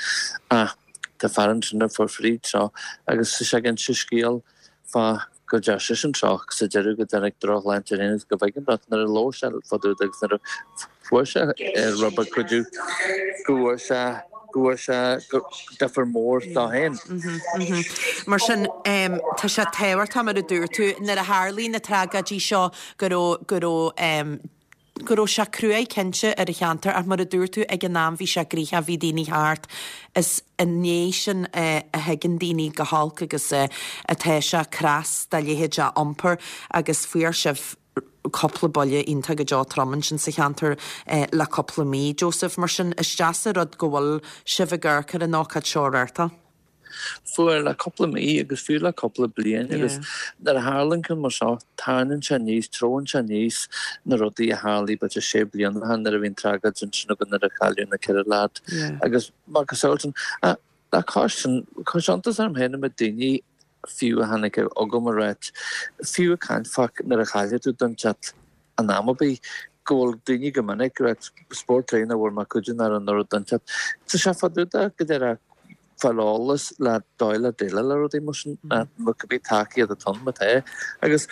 ach tá fear ansin a fuair fríd seo agus tá sé ag inse scéal fá go deir seisean seo sa deireadh go dtáinig drochshláinte air féin agus go bhfeiceann tú nuair a labhair sé fá dtaobh de agus nuair a fuair sé rud beag cuidiú go bhfuair sé go bhfuair sé difear mór dó féin. Mar sin tá sé tábhachtach mar a dúirt tú nuair a tharlaíonn na tragóidí seo go raibh go raibh go raibh sé cruaidh cinnte ar an cheantar ach mar a dúirt tú ag an am bhí sé gnoitheach, bhí daoine thart. Is i ndiaidh sin a thuigeann daoine go holc agus atá sé cneas dá leithéid a iompar agus fuair sibh cúpla buille iontach go deo trom ansin sa cheantar le cúpla mí, Joseph. Mar sin is deas an rud go bhfuil sibh ag amharc ar an ócáid seo a reáchtáil. Fuair le cúpla mí agus fiú le cúpla bliain agus nuair a tharlaíonn ceann mar seo tarraingíonn sé aníos, treabhann sé aníos na rudaí a tharlaigh b'fhéidir sé bliana ó shin nuair a bhí an tragóid ansin againn nuair a cailleadh na ceithre leaid agus macasamhail sin. Le cois sin, chuir sé iontas orm féin an méid daoine fiú a tháinig chugam ag ráit, fiú ag caint fá nuair a chaillfidh tú duine inteacht in am ar bith, go bhfuil daoine go minic ag ráit spórt tréan a bhfuair mé cuidiú nuair a nuair a duine inteacht. Tá sé fá dtaobh de go deireadh fáil eolas le dóigh le déileáil le rudaí mar sin nó cibé tacaíocht atá ann má tá agus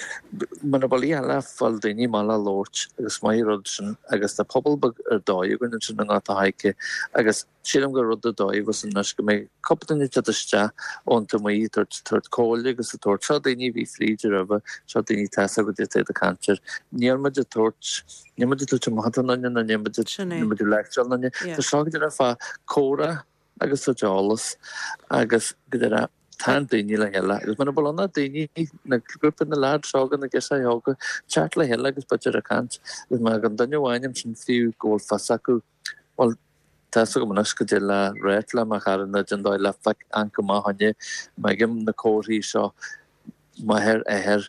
muna bhfuil a eile fáil daoine maith le labhairt agus maith rud sin agus tá pobal beag ar dóigh againn ansin i nGort a' Choirce agus sílim gur rud ar dóigh a bheas anois go mbeidh cúpla duine ag teacht isteach ón taobh amuigh ag tabhairt tabhairt comhairle agus ag tabhairt seo daoine a bhí fríd roimhe seo daoine tá a fhios acu goidé atá ag caint air níl muid ag tabhairt níl muid ag tabhairt amach don duine nó níl muid níl muid ag leictreáil an duine tá seo go deireadh fá comhrá agus tabhairt eolas agus go deireadh tagann daoine le chéile agus muna bhfuil ann ach daoine na grúpa na leaids óga na girseachaí óga teacht le chéile agus b'fhéidir ag caint agus má fhaigheann duine amháin ansin fiú go bhfuil fios acu bhuel tá fhios agam anois goidé le ráit le mo chara nó den dóigh le feic amharc amach fá choinne má fheicim na comharthaí seo máthair athair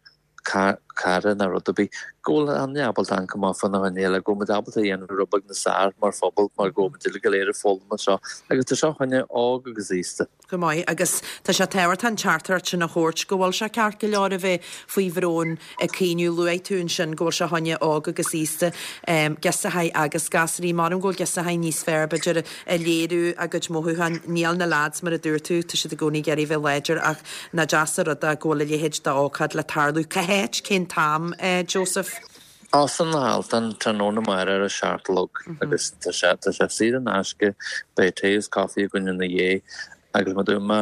cara nó rud ar bith, go bhfuil an duine ábalta amharc amach fá na choinne eile, go bhfuil muid ábalta a dhéanamh rud beag níos fearr mar phobal mar go bhfuil muid uilig go léir ag foghlaim anseo agus tá seo fá choinne óg agus aosta. Go maith, agus tá sé tábhachtach an teachtaireacht sin a thabhairt go bhfuil sé ceart go leor a bheith faoi bhrón ag caoineadh. Luaigh tú ansin go bhfuil sé fá choinne óg agus aosta, girseachaí agus gasraí. Measaim go bhfuil girseachaí níos fearr b'fhéidir ag léiriú a gcuid mothúchán. Níl na lads mar a dúirt tú, tá siad i gcónaí ag iarraidh bheith láidir ach nach deas an rud é go bhfuil a leithéid d'ócáid le tarlú. Cá háit, cén t-am, Joseph? Óstán na hAltan, tráthnóna amárach ar a seacht a chlog agus tá sé tá sé saor in aisce, beidh tae is caife againn ina dhiaidh agus mar a dúirt mé,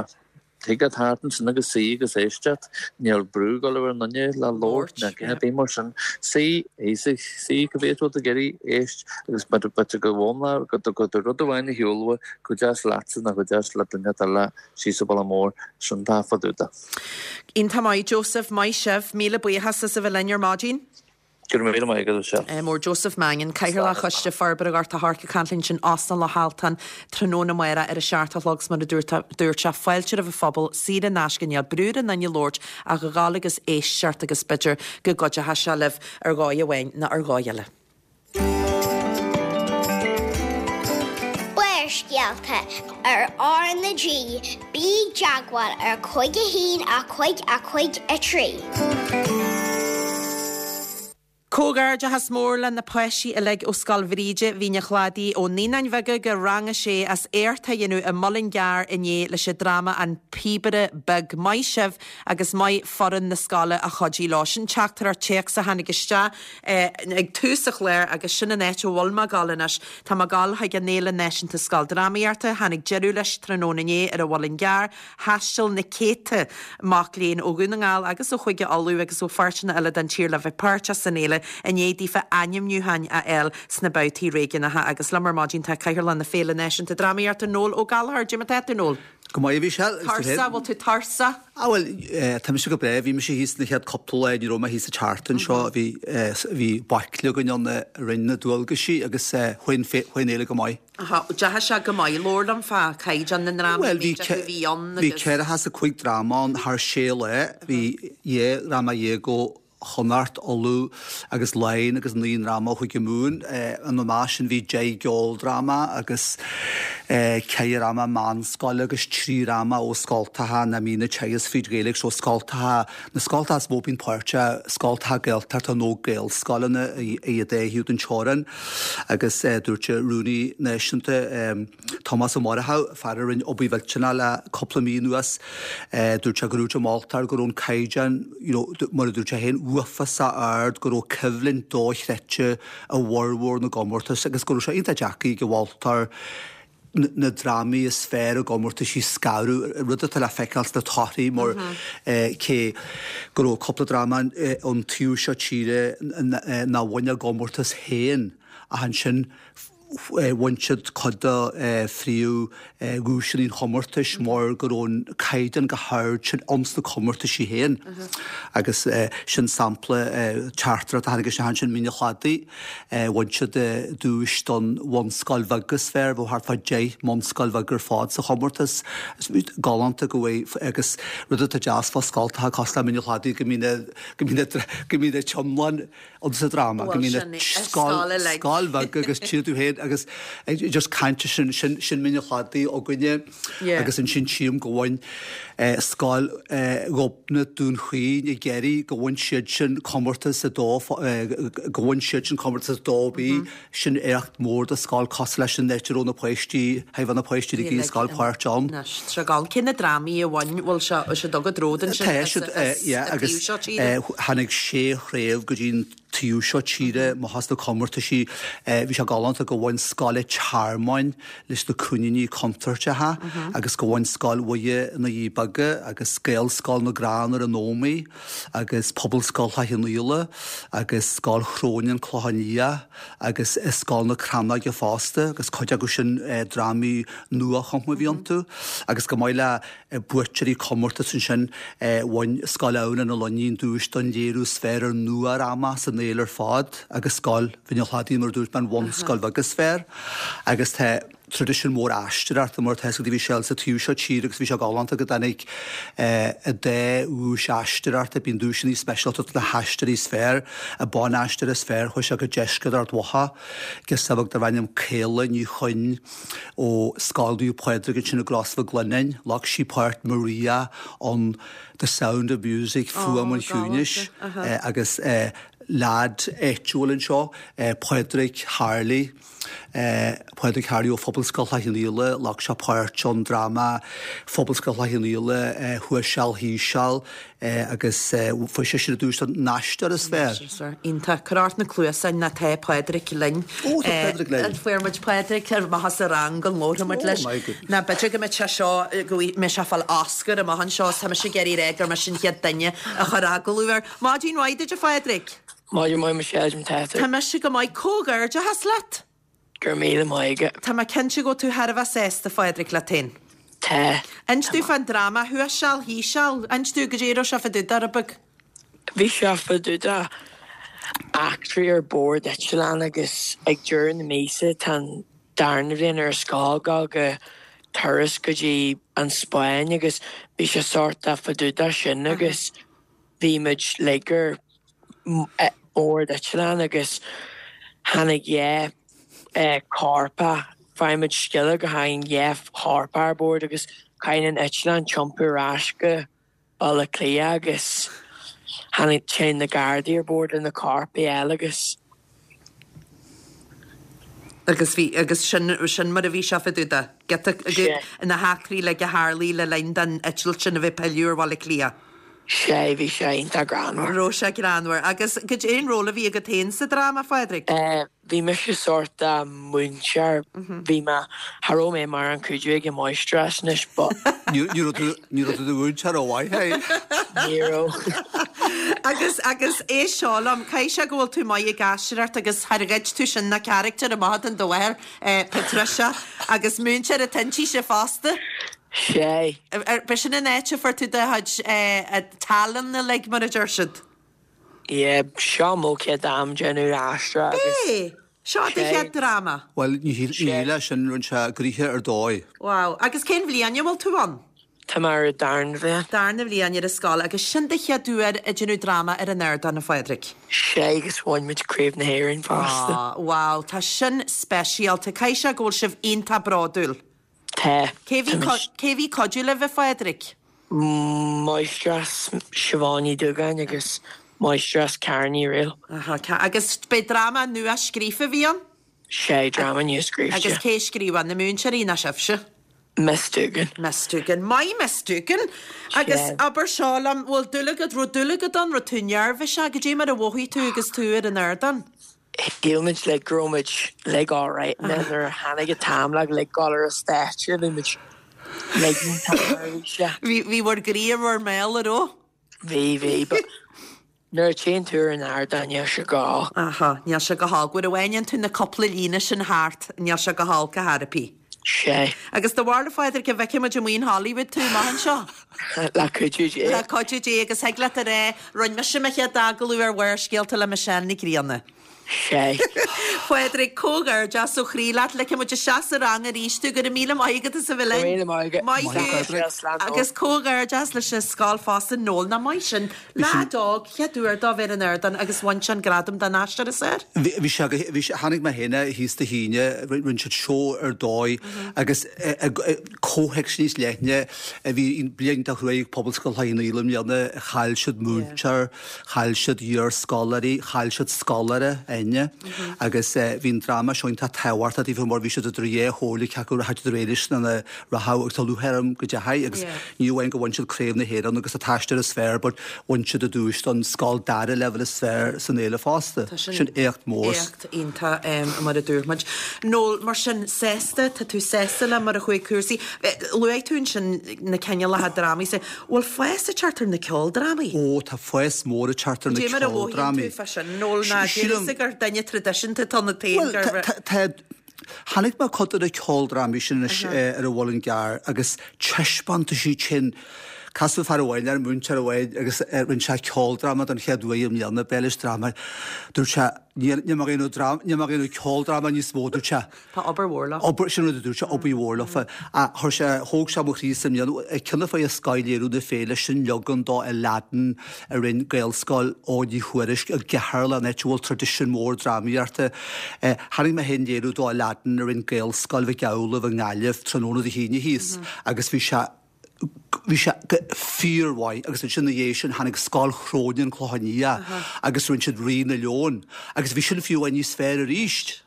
thig leat theacht ansin agus suí agus éisteacht, níl brú ag dul ar an nduine le labhairt ná a dhath ar bith mar sin. Suí, suí, cibé atá tú ag iarraidh, éist agus b'fhéidir go bhfoghlaimeoidh go go rud amháin a shiúlfaidh go deas leatsa nó go deas le duine eile síos an bealach mór sin tá fá dtaobh de. Iontach maith Joseph, maith sibh, míle buíochas as a bheith linn ar maidin. Go raibh míle maith agat, a Mhichelle. Mór Joseph Mannion, Cathaoirleach Choiste Forbartha Ghort a' Choirce ag caint linn ansin Óstán Loch Altan tráthnóna amárach ar a seacht a chlog 's mar a dúirt sé fáilte roimh an phobal, saor in aisce níl brú ar aon duine labhairt ach a ghabháil agus éisteacht agus b'fhéidir go gcuideoidh sé libh ar dhóigh amháin nó ar dhóigh eile. Barrscéalta ar R na G, bí i dteagmháil ar cúig a haon a cúig a cúig a trí. Comhghairdeachas mór le na páistí uilig ó Scoil Bhríde, Mhín an Chladaigh, ó Naíonáin Bheaga go Rang a Sé as éacht a dhéanamh i Muileann gCearr inné leis an dráma An Píobaire Beag. Maith sibh agus maith foireann na scoile a chuidigh leo. Sin teachtaireacht téacs a tháinig isteach ag tús an chláir agus sin an áit a bhfuil mé ag dul anois. Tá mé ag dul chuig an Fhéile Náisiúnta Scoildrámaíochta. Tháinig deireadh leis tráthnóna inné ar an Mhuileann gCearr. Thaistil na céadta mac léinn ó Dhún na nGall agus ó Chúige Uladh agus ó pháirteanna eile den tír le bheith páirteach san fhéile i ndiaidh daofa ainmniúcháin a fháil sna babhtaí réigiúnacha agus liom ar maidin tá Cathaoirleach na Féile Náisiúnta Drámaíochta, Noel Ó Gallchóir. Cad é mar atá tú, Noel? Go maith, a Mhichelle. Tuirseach, bhfuil tú tuirseach? Ah bhuel, tá mise go breá. Bhí mise thíos na chéad cúpla lá, ní raibh mé thíos an tseachtain seo. Bhí bhí baicle againn ann a rinne na dualgaisí agus chuaigh an fhéile go maith. Aha, deachaigh sé go maith. Labhair liom fá chaighdeán na ndrámaí, Bhuel, bhí méid acu a bhí ann bhí agus. ceathracha is a cúig dráma ann thar sé lá. Bhí dhá dhráma dhéag ó Chonnacht, Uladh agus Laighin agus naoi ndráma ó Chúige Mumhan. Ina measc sin bhí deich gceoldráma agus ceithre dhráma meánscoile agus trí dhráma ó scoltacha nach mbíonn ag teagasc fríd Ghaeilge. So scoltacha, na scoltacha is mó a bíonn páirteach, scoltacha Gaeltachta nó Gaelscoileanna ar an dá thaobh den teorainn. Agus dúirt an Rúnaí Náisiúnta, Tomás Ó Murchú, fear a rinne obair mhillteanach le cúpla mí anuas, dúirt sé go raibh sé moltach go raibh an caighdeán, you know, mar a dúirt sé féin, uafásach ard, go raibh coimhlint dochreidte i bhformhór na gcomórtas agus go raibh sé iontach deacair ag an mholtóir na drámaí is fearr i gcomórtais a scaradh, rud atá le feiceáil sna torthaí mar cé go raibh cúpla dráma ón taobh seo tíre nár bhain a gcomórtas féin ach ansin bhain siad cuid de phríomh dhuaiseanna an chomórtais mar go raibh an caighdeán go hard sin ins na comórtaisí féin. Agus sin sampla teachtaireacht a tháinig isteach ansin Mín an Chladaigh, bhain siad duais don bhunscoil bheag is fearr, bheadh thart fá deich mbunscoil bheag ar fad sa chomórtas. Galánta go bhfuil agus rud atá deas fá scoltacha cosúil le Mín an Chladaigh go mbíonn go mbíonn go mbíonn an t-iomlán ann sa dráma, go Bhuel mbíonn sin scoil uilig. scoil bheag agus tchí tú féin agus just caint sin sin sin Mín an Chladaigh againne Yeah. agus ansin tchím go bhain scoil Ghobnait Dún Chaoin i gCiarraí go bhain siad sin comórtas a dó go bhain siad sin comórtas a dó B sin éacht mór do scoil cosúil leis an áit a raibh na páistí high bheith na páistí ag Uilig scoil páirt ann. Anois, tá gall cé na drámaí a bhain bhfuil sé sé dug a dród ansin Tá as siad as yeah an agus taobh seo tíre. tháinig sé chraobh go dtí an taobh seo tíre má thosnaigh comórtaisí bhí sé galánta go bhain Scoil an Tearmainn leis na coiníní contúirteacha agus go bhain Scoil Mhuire na Doirí Beaga agus Gaelscoil na gCrann ar an Ómaigh agus Pobalscoil Chloich Cheann Fhaola agus Scoil Chrónáin Clochán Liath agus Scoil na Crannóige fosta agus cuid acu sin drámaí nuachumtha a bhí iontu agus go maith le buaiteoirí comórtas ansin bhain Scoil Adhamhnáin na Luinín duais don léiriú is fearr ar nuadhráma san fhéile ar fad agus Scoil Mhín an Chladaigh mar a dúirt mé an bhunscoil bheag is fearr agus tá traidisiún mór aisteoireachta mar atá a bhí sé sa taobh seo tíre agus bhí sé galánta go dtáinig an dá dhuais aisteoireachta bíonn duaiseanna speisialta do na haisteoirí is fearr an ban-aisteoir is fearr chuaigh sé go deisceart Ard Mhacha girseach bheag darb ainm Caola Ní Chuinn ó Scoil Naomh Pádraig ansin i gCros Mhic Lionnáin ghlac sí páirt Maria on The Sound of Music Fuaim Ó, an galánta. Chiúnais agus leaid áitiúil anseo Pádraig Harley Pádraig Harley ó Phobalscoil Chloich Cheann Fhaola ghlac sé páirt an dráma Phobalscoil Chloich Cheann Fhaola Thuas Seal Thíos Seal agus fuair sé sin an duais don aisteoir is fearr. Iontach. Cuir ort na cluasáin nó tá Pádraig linn. Ó, tá Pádraig linn. An bhfuair muid Pádraig ar amach as an rang go labhróidh muid leis. Oh my goodness. Ná b'fhéidir go mbeidh sé seo go mbeidh sé ag fáil Oscar amach anseo is tá mise ag iarraidh a rá gur mise an chéad duine a chuir agallamh air. Maidin mhaith duit a Phádraig. Maidin mhaith Michelle tá tú. Tá mise go maith comhghairdeachas leat. Go raibh míle maith agat. Tá mé cinnte go bhfuil tú thar a bheith sásta Phádraig leat féin. Tá. Inis domh fán dráma thuas seal thíos seal, inis domh goidé a raibh sé fá dtaobh de, a beag. Bhí sé fá dtaobh de eachtraí ar bord eitleán agus ag deireadh na míosa tá an darna bhliain ar scoil ag gabháil go turas go dtí an Spáinn agus bhí sé sort of fá dtaobh de sin agus bhí muid like ar bord eitleán agus tháinig dhá chorp, fuair muid scéala go tháinig dhá chorp ar bord agus caithfidh an eitleán iompú ar ais go Baile Átha Cliath agus tháinig téann na Gardaí ar bord le na coirp eile agus. Agus bhí, agus sin, sin mar a bhí sé fá dtaobh de. Giota, na heachtraí uilig a tharlaigh le linn don eitilt sin a bheith ag pilleadh ar Bhaile Átha Cliath. Sea, bhí sé iontach greannmhar. Raibh sé greannmhar. Agus cad é an ról a bhí agat féin sa dráma, a Phádraig? Bhí mise sórt múinteoir, bhí mé, cha raibh mé mar an cuidiú ag an máistreás anois but. Ní raibh tú, ní raibh tú do mhúinteoir rómhaith, hey? Ní raibh. Agus, agus éist seo liom, caithfidh sé go bhfuil tú maith ag aisteoireacht agus char ghoid tú sin na carachtair amach den do mháthair, Patricia, agus múinteoir atá inti fosta. Sea. B'shin an áit a fuair tú do chuid tallann uilig, mar a deir siad. Yeah, seo mo chéad am déanamh aisteoireacht agus. B'é! Seo do chéad dráma. Bhuel, ní hé sin, rinne sé gnoithe ar dóigh. Wow. Agus cén bhliain a bhfuil tú ann? Tá mé ar an darna bhliain. Darna bhliain ar an scoil agus sin do chéad uair ag déanamh dráma ar an ardán, a Phádraig? Sea, agus bhain muid Craobh na hÉireann fosta. Ah, wow, tá sin speisialta. Caithfidh sé go bhfuil sibh iontach bródúil. Tá. Cé bhí cé bhí cuidiú libh, a Phádraig? Máistreás Siobhán Ní Dúgáin agus Máistreás Karen Ní Fhrighil. Aha, agus b'é dráma nua scríofa a bhí ann? Sea, dráma nua scríofa. Agus cé a scríobh é, na múinteoirí nó sibhse? Miss Doogan. Miss Doogan. Maith Miss Doogan! Agus abair seo liom, bhfuil dúil agat, raibh dúil agat ann, raibh tú neirbhíseach, goidé mar a mhothaigh tú agus tú ar an ardán? Shíl muid like go raibh muid like alright and then nuair a tháinig an t-am like like dul ar an stáitse bhí muid like iontach neirbhíseach. Bhí bhí bhur gcroí i bhur mbéal, an raibh? Bhí, bhí, but nuair a téann tú ar an ardán níl sé go holc. Aha, níl sé go holc. Nuair a bhaineann tú na cúpla líne sin thart, níl sé go holc ar chor ar bith. Sea. Agus do bharúil, a Phádraig, go bhfeicfidh muid amuigh in Hollywood tú amach anseo? Le cuidiú Dé. Le cuidiú Dé agus thig leat a rá, rinne mise mo chéad agallamh ar Bharrscéalta le Michelle Ní Ghrianna. Sea. Phádraig, comhghairdeas ó chroí leat, ligfidh muid isteach sa rang arís tú, go raibh míle maith agat as a bheith linn. Go raibh míle maith agat. Maith thú. Agus comhghairdeas leis an scoil fosta, Noel, nach maith sin. Leaid óg, chéad uair dó bheith ar an ardán agus bhain sé an gradam don aisteoir is fearr. Bhí sé, bhí sé, chonaic mé féin é thíos Dé hAoine, rinne siad seó ar dóigh agus comhthéacs níos leithne, bhí bliain iontach cruaidh ag Pobalscoil Chloich Cheann Fhaola i mbliana, chaill siad múinteoir, chaill siad iarscoláirí, chaill siad scoláire, Áine, agus bhí an dráma seo iontach tábhachtach daofa mar bhí siad idir dhá chomhairle cé acu rachadh siad ar aghaidh leis nó nach rachadh agus tá lúcháir orm go ndeachaigh agus ní amháin go bhain siad Craobh na hÉireann agus an t-aisteoir is fearr but bhain siad an duais don scoil dara leibhéal is fearr san fhéile fosta. Sin éacht mór. Éacht iontach mar a dúirt muid. Noel, mar sin, sásta, tá tú sásta le mar a chuaigh cúrsaí. Luaigh tú ansin na cineálacha drámaí. Bhfuil fás ag teacht ar na ceoldrámaí? Ó, tá fás mór ag teacht ar na Cad é mar a mhothaíonn ceoldrámaí. tú fá sin, Noel, ná déarfá gur duine traidisiúnta atá ionat féin Bhuel, gur. tá, tá, Chonaic mé cuid de na ceoldrámaí sin anois ar an Mhuileann gCearr agus taispeántaisí sin. Casadh fear amháin ar múinteoir amháin agus rinne sé ceoldráma don chéad uair i mbliana, b'é leis dráma. Dúirt sé, níl mé ag déanamh dráma, níl mé ag déanamh ceoldráma níos mó, dúirt sé. Tá obair mhór leofa. Obair, sin rud a dúirt sé, obair mhór leofa. Ach chuir sé, thóg sé mo chroí sa mbliana, ceann de scoth-léiriú na féile sin leagan do Aladdin a rinne Gaelscoil Eoghain Uí Thuairisc i gCeatharlach, an áit a bhfuil traidisiún mór drámaíochta. Chonaic mé féin léiriú do Aladdin a rinne Gaelscoil Mhic Amhlaoibh i nGaillimh tráthnóna Dé hAoine thíos agus bhí sé, bhí sé go fíormhaith agus ansin ina dhiaidh sin tháinig Scoil Chrónáin, An Clochán Liath agus rinne siad Rí na Leon agus bhí sin fiú amháin níos fearr arís.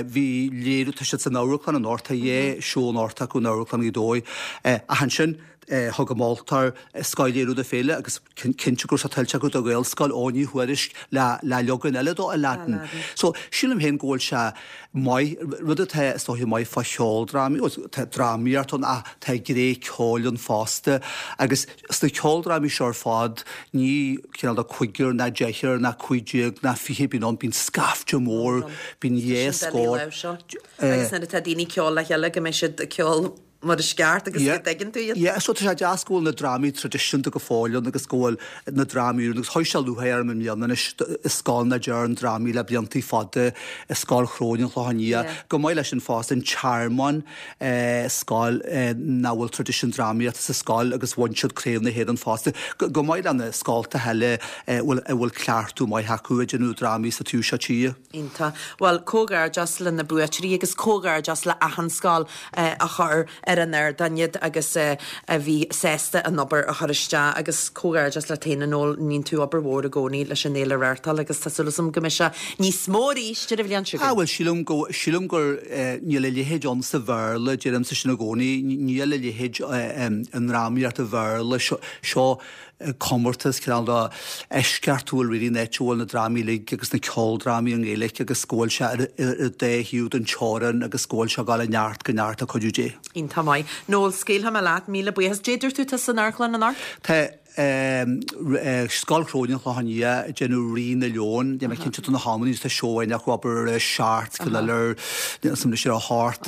Bhí léiriú, tá siad san amharclann anocht, tá dhá seó anocht acu in Amharclann Ghaoth Dobhair ach ansin thug an moltóir scoth-léiriú na féile agus cinnte go raibh sé tuillte acu do Ghaelscoil Eoghain Uí Thuairisc le le leagan eile do Aladdin. So sílim féin go bhfuil sé maith, rud atá is dóiche maith fá cheoldrámaí, bhuel tá drámaíocht ann ach tá gné ceoil ann fosta agus sna ceoldrámaí seo ar fad ní cineál de cúigear ná deichniúr ná cúig déag ná fiche a bhíonn ann, bíonn scaifte mór, bíonn dhá Sin doiligh scór. láimhseáil. Agus nuair atá daoine ag ceol le chéile go mbeidh siad ag ceol mar is ceart agus go dtuigeann tú iad. Yeah, so tá sé deas go bhfuil na drámaí traidisiúnta go fóill ann agus go bhfuil na drámaí úr agus chuir sé lúcháir orm i mbliana anois i scoil nach ndearn drámaí le bliantaí fada i Scoil Chróine an Chlocháin Liath. Chomh maith leis sin fosta an Tearmann, scoil nach bhfuil traidisiún drámaíochta sa scoil agus bhain siad Craobh na hÉireann fosta. Chomh maith le na scoltacha eile a bhfuil cleachtadh maith acu ag déanamh drámaí sa taobh seo tíre. Iontach. Bhuel, comhghairdeas le na buaiteoirí agus comhghairdeas le achan scoil a chuir ar an ardán iad agus a bhí sásta an obair a chur isteach agus comhghairdeas leat féin a Noel, níonn tú obair mhór i gcónaí leis an fhéile a reáchtáil agus tá súil agam go mbeidh sé níos mó arís ar an bhliain seo Ah bhuel sílim go sílim gur níl a leithéid ann sa Bhéarla, deirimse sin i gcónaí, níl a leithéid i ndrámaíocht an Bhéarla, seo comórtas cineál de eisceachtúil really an áit a bhfuil na drámaí uilig agus na ceoldrámaí i nGaeilge agus go bhfuil sé ar an dá thaobh den teorainn agus go bhfuil sé ag dul ó neart go neart le cuidiú Dé. Iontach maith. Noel, scaoilfidh mé leat, míle buíochas. Dé dúirt tú tá san amharclann anocht? Tá Scoil Chróine an Chlocháin Liath ag déanamh Rí na Leon, níl mé cinnte de na hamanna, tá seó amháin acu abair ar a seacht, ceann eile ar, níl a fhios agam anois ar a hocht,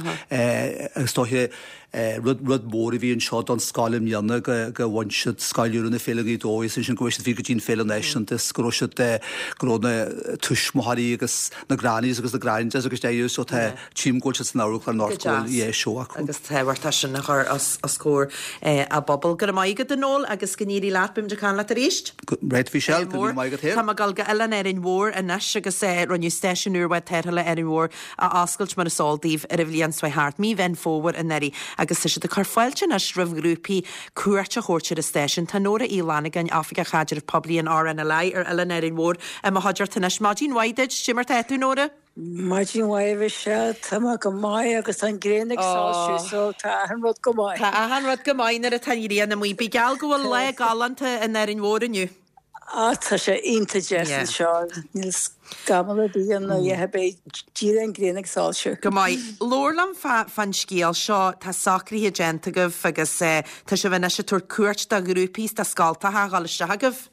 agus is dóiche Rud rud mór a bhí anseo don scoil i mbliana go go bhain siad Scoil Úr na Féile Ghaoth Dobhair is ansin go raibh siad fiú go dtí an Féile Náisiúnta is go raibh siad go raibh na tuismitheoirí agus na grannies agus na grandads agus deireadh so tá tchím go bhfuil siad san amharclann anocht go bhfuil yeah seó acu. Agus tábhachtach sin a chur os os comhair a bpobal. Go raibh maith agat a Noel agus go n-éirí leat, beimid ag caint leat arís. Right Michelle, go raibh maith agat féin. Tá mé ag dul go Oileán Árainn Mhór anois agus rinneadh stáisiún úr bhád tarrthála Árainn Mhór a oscailt mar is eol daoibh ar an bhliain seo thart, mí Mheán Fómhair anuraidh agus tá siad ag cur fáilte anois roimh ghrúpaí cuairt a thabhairt ar an stáisiún. Tá Nóra Uí Fhlannagáin, Oifigeach Chaidrimh Poiblí an RNLI ar Oileán Árainn Mhór i mo chuideachta anois. Maidin mhaith duit, cad é mar tá tú Nóra? Maidin mhaith a Mhichelle, tá mé go maith agus tá an ghrian ag soilsiú so tá achan rud go maith. Tá achan rud go maith nuair atá an ghrian amuigh. Bí geall go bhfuil lá galánta in Árainn Mhór inniu. Ah tá sé iontach deas anseo, níl scamall ar bith ann nó a dhath ar bith, díreach an ghrian ag soilsiú. Go maith. Labhair liom fán scéal seo, tá socruithe déanta agaibh agus tá sibh anois ag tabhairt cuairt do ghrúpaí is do scoltacha a dhul isteach agaibh.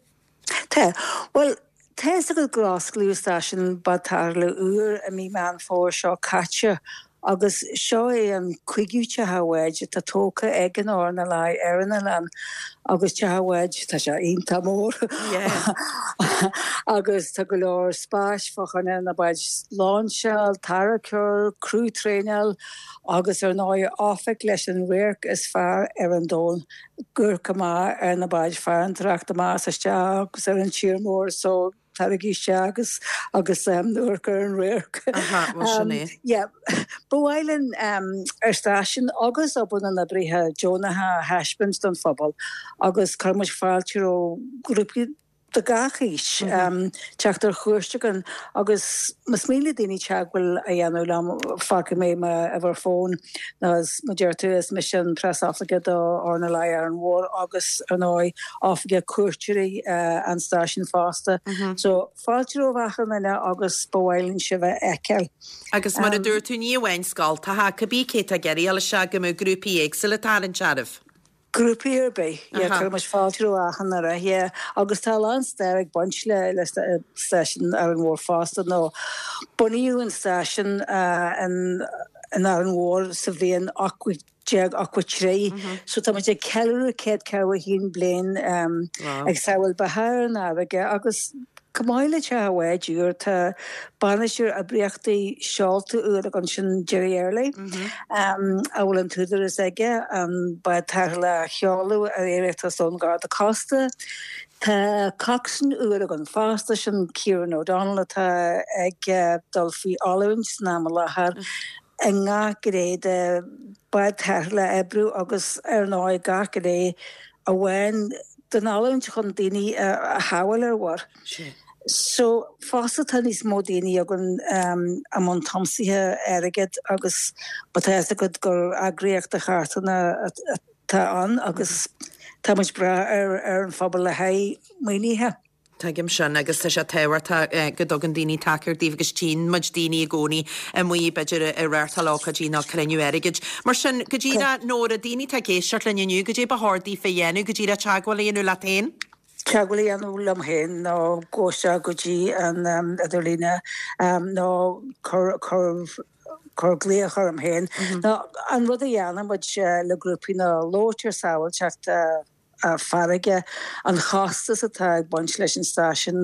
Tá. Bhuel, tá fhios agat gur osclaíodh stáisiún bád tarrthála úr i mí Meán Fómhair seo caite Agus seo é an cúigiú teach báid atá tógtha ag an RNLI ar an oileán agus teach báid, tá sé iontach mór agus tá go leor spáis fá choinne na báid lainseáil, tarracóir, criú traenáil agus ar ndóigh oifig leis an radharc is fearr ar an domhan, amharc amach ar na báid farantóireachta amach is isteach agus ar an tír mór so Taraigí isteach agus agus amharc ar an radharc. Aha, bhuel sin é. Yeah. Ba mhaith linn ár stáisiún agus obair na n-oibrithe deonacha a thaispeáint don phobal agus cuireann muid fáilte roimh ghrúpaí de gach aois teacht ar chuairt chugainn agus más mian le daoine teagmháil a dhéanamh liom fágfaidh mé m'uimhir fóin nó mar a deir tú is mise an preasoifigeach do RNLI Árainn Mhór agus ar ndóigh oifigeach cuairteoirí an stáisiúin fosta. So fáilte roimh achan duine agus ba mhaith linn sibh a fheiceáil. Agus mar a dúirt tú, ní amháin scoltacha, cibé cé atá ag iarraidh a dhul isteach go mbeadh grúpaí éagsúla ag tarraingt oraibh. Grúpaí ar bith, yeah, cuireann muid fáilte roimh achan duine, yeah. Agus tá a lán stair ag baint le le stáisiún Árainn Mhór fosta nó bunaíodh an stáisiún in in Árainn Mhór sa bhliain ocht déag ochtó trí. So tá muid ag ceiliúradh céad ceathracha a haon bliain ag sábháil beatha ar an fharraige agus chomh maith le teach an bháid úr tá bainisteoir oibríochtaí seolta úr againn sin Gerry Early a bhfuil an t-údarás aige an bád tarrthála a sheoladh ar iarratas ón Gharda Cósta. Tá coxswain úr againn fosta, sin Kieran O'Donnell atá ag dul faoi oiliúint san am i láthair. I ngach gné de bád tarrthála a oibriú agus ar ndóigh gach gné a bhain den oiliúint chun daoine a shábháil ar mhuir. So fosta tá níos mó daoine againn i mbun tiomsaithe airgid agus tá a fhios agat gur eagraíocht de charthanna atá ann agus tá muid ag brath ar an phobal le haghaidh maoinithe. Tuigim sin agus tá sé tábhachtach go dtugann daoine tacaíocht daoibh agus tchíonn muid daoine i gcónaí amuigh b'fhéidir ag reáchtáil ócáidí nó cruinniú airgid. Mar sin, go díreach, Nóra, daoine atá ag éisteacht linn inniu, goidé ba chóir daofa a dhéanamh, go díreach teagmháil a dhéanamh leat féin? Teagmháil a dhéanamh liom féin nó gabh isteach go dtí an idirlíne nó cur cur cur glaoch orm féin. Ná an rud a dhéanann muid le grúpaí ná labhairt ar sábháilteacht farraige, an chostas atá ag baint leis an stáisiún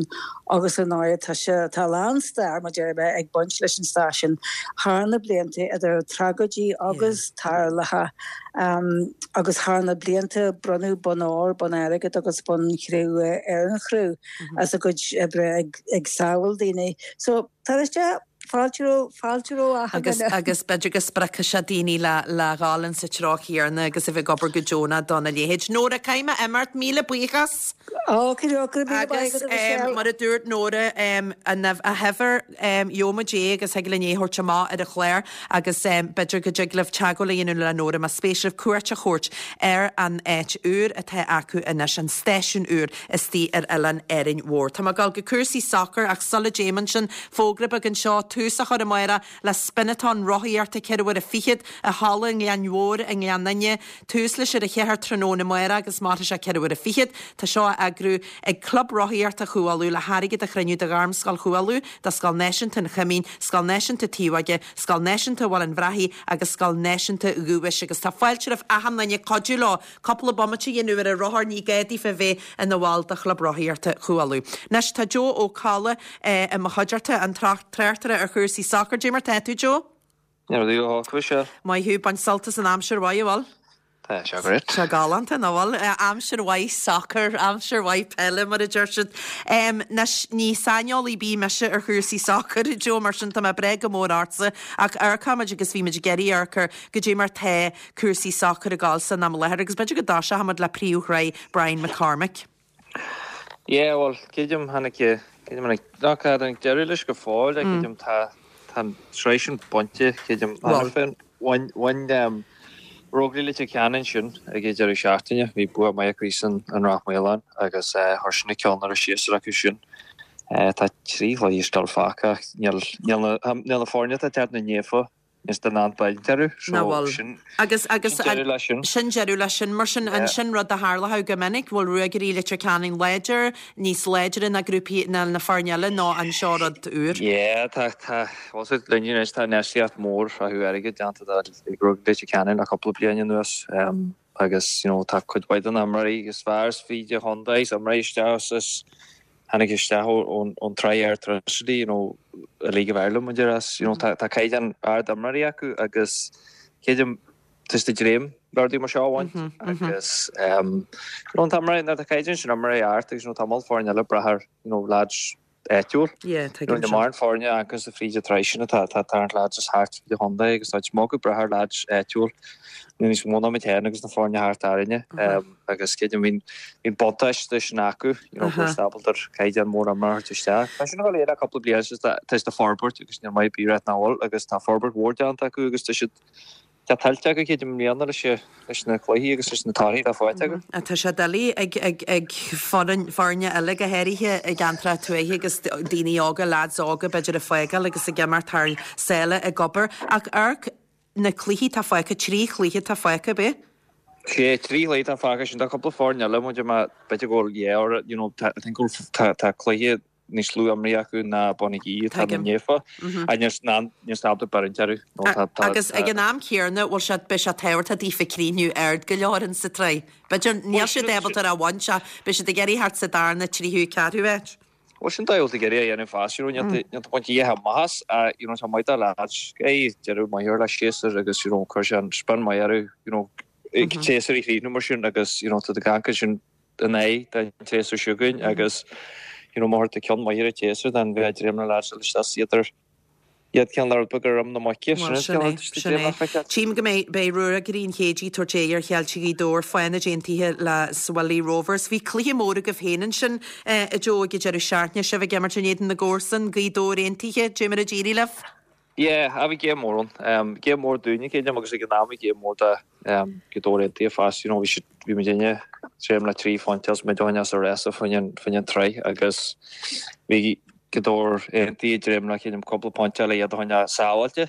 agus ar ndóigh tá sé, tá a lán stair mar deir mé ag baint leis an stáisiún thar na blianta idir tragóidí agus tarluithe agus thar na blianta bronnadh bonn óir, bonn airgid agus bonn chré-umha ar an chriú as a gcuid oibre ag ag sábháil daoine. So tá sé Fáilte ró, fáilte ró achan Agus, duine. agus b'fhéidir go spreagfaidh sé daoine le, le dhul in sa treo chéanna agus a bheith ag obair go deonach dona leithéid. Nóra, caithfidh mé imeacht, míle buíochas. Ó, go raibh míle maith Agus agat, em, Michelle. mar a dúirt Nóra, em, an a huimhir, em, gheobhaidh muid é agus thig linn é a thabhairt amach ar an chlár agus em, b'fhéidir go dtig libh teagmháil a dhéanamh le Nóra más spéis libh cuairt a thabhairt ar an áit úr atá acu anois, an stáisiún úr istigh ar oileán Árainn Mhór. Tá mé ag dul go cúrsaí sacair ach sula dtéim ansin, fógra beag anseo, tús á chur amárach le Spin-a-thon rothaíochta ceithre huaire fichead i Halla an Ghleann Mhóir i nGleann Fhinne. Tús leis ar a cheathair tráthnóna amárach agus mairfidh sé ceithre huaire fichead. Tá seo á eagrú ag Club Rothaíochta Chú Uladh le hairgead a chruinniú do Ghairmscoil Chú Uladh, do Scoil Náisiúnta an Choimín, Scoil Náisiúnta Taobh Óige, Scoil Náisiúnta Bhaile an Bhrathaigh agus Scoil Náisiúnta Dhubhais agus tá fáilte roimh achan duine cuidiú leo cúpla bomaite a dhéanamh ar an rothar, ní gá daofa a bheith ina bhall de Chlub Rothaíochta Chú Uladh. Anois tá Joe Ó Colla i mo chuideachta, an tráchtaire ar chúrsaí sacair. Dé mar tá tú, Joe? Ní raibh tú go holc, Maith thú, baint sult as an aimsir mhaith, an bhfuil? Tá sé great. Tá galánta, nach bhfuil? Aimsir mhaith sacair, aimsir mhaith peile, mar a deir siad. Anois, ní saineolaí ar bith mise ar chúrsaí sacair, a Joe, mar sin tá mé ag brath go mór ortsa, ach amharcfaimid agus bhí muid ag iarraidh amharc ar goidé mar tá cúrsaí sacair ag dul san am i láthair agus b'fhéidir go dtoiseochaimid le príomhshraith Brian McCormick. Yeah, bhuel, creidim tháinig, creidim tháinig, ná cad tháinig deireadh leis go fóill, mm. creidim tá, tá an tsraith sin bainte, creidim, Bhuel. féin, bhain, bhain um, Ruagairí Leitir Ceanainn sin ag an deireadh seachtaine, bhí bua maith acu san an Ráth Maoláin agus uh, chuir sin na ceann ar a séasúr acu sin. Uh, tá trí chluiche still fágtha ach níl, níl na, níl na foirne atá teacht na néafa is den an bailteru, so Ná bhfuil. sin, Agus agus sin deireadh leis sin. sin deireadh leis sin, mar sin an Yeah. sin rud a tharlódh go minic, bhfuil Ruagairí Leitir Ceanainn láidir, níos láidre ná grúpaí ná na foirne eile nó an seo rud úr. Yeah, tá tá was it linn anois tá infheistíocht mór acu airgead déanta ag Ruagairí Leitir Ceanainn le cúpla bliain anuas um, agus you know, tá cuid mhaith den imreoirí agus fear is fríd an chontae is imreoirí isteach is tháinig isteach ón ón tsraith Airtricity, you know, a League of Ireland muid as, you know, tá tá caighdeán ard imreoirí acu agus creidim tá siad ag dréim rudaí mar seo a bhaint agus um, you know, tá imreoirí tá caighdeán sin imreoirí ard agus you know, tá mórán foirne eile brath ar you know, lads áitiúil. Yeah, You tuigim know, na sin. mórán foirne agus a fríd an tsraith sin atá tá tá lads is thart fríd an chontae agus tá mó go brath ar lads áitiúil níos mó ná muid féin agus na foirne thart orainne um, agus creidim bhíonn bhíonn buntáiste sin acu you know, Aha. gur ábalta caighdeán mór imreoir isteach. Tá sin go léir le cúpla bliain is tá tá forbairt agus níl maith bí ná bhfuil agus tá forbairt mhór déanta acu agus tá siad tá tuillte acu creidim i mbliana leis leis na cluichí agus leis na torthaí atá faighte acu. Tá sé doiligh ag ag ag foireann foirne eile go háirithe i gceantar tuaithe agus daoine óga lads óga b'fhéidir ag fágáil agus ag imeacht thar sáile ag obair ach amharc na cluichí tá fágtha trí chluiche tá fágtha be? Sé trí chluiche tá fágtha sin tá cúpla foirne eile muid má b'fhéidir go bhfuil yeah you know tá I think go bhfuil tá tá cluiche níos lú imrithe acu ná Bonagee atá na Tuigim. néfa a níos ná níos ábalta barint orthu nó tá tá Agus ag an am céanna bhfuil siad beidh sé tábhachtach daofa críochnú ard go leor in sa tsraith. B'fhéidir níl siad ábalta a bhaint ach beidh siad ag iarraidh thart sa darna tríú ceathrú áit. Well sin dá ag iarraidh a dhéanamh fás you know níl baint dhéha mahas a you know tá maith lads é deireadh maith le séasúr agus you know chuir sé an spion maith orthu you know ag séasúr i chríochnú mar sin agus you know tá ganca sin an é den tséasúr seo chugainn agus you know mar tá ceann maith ar an tséasúr dan bheith dream na lads leis iad ar iad ceann le rud beag ar am na muice Well, sin é, sin é. Tchím go mbeidh beidh Ruagairí an Chéidí tabhairt aghaidh ar Cheiltigh Ghaoth Dobhair Fánaid aontaithe le Swilly Rovers. Bhí cluiche mór agaibh féin ansin eh, a Joe ag deireadh seachtaine sibh ag imirt in éadan na gcomharsan Gaoth Dobhair aontaithe, Dé mar a d'éirigh libh? Yeah, a bhí game mór ann. Um, game mór dúinne creidim agus ag an am bhí game mór do um, Gaoth Dobhair aontaithe fás, you know, bhí siad bhí muid inne tréim le trí phointe agus muid as a resa faoin an faoin an tsraith agus bhí Gaoth Dobhair aontaithe dréim le creidim cúpla pointe le iad a choinneáil sábháilte.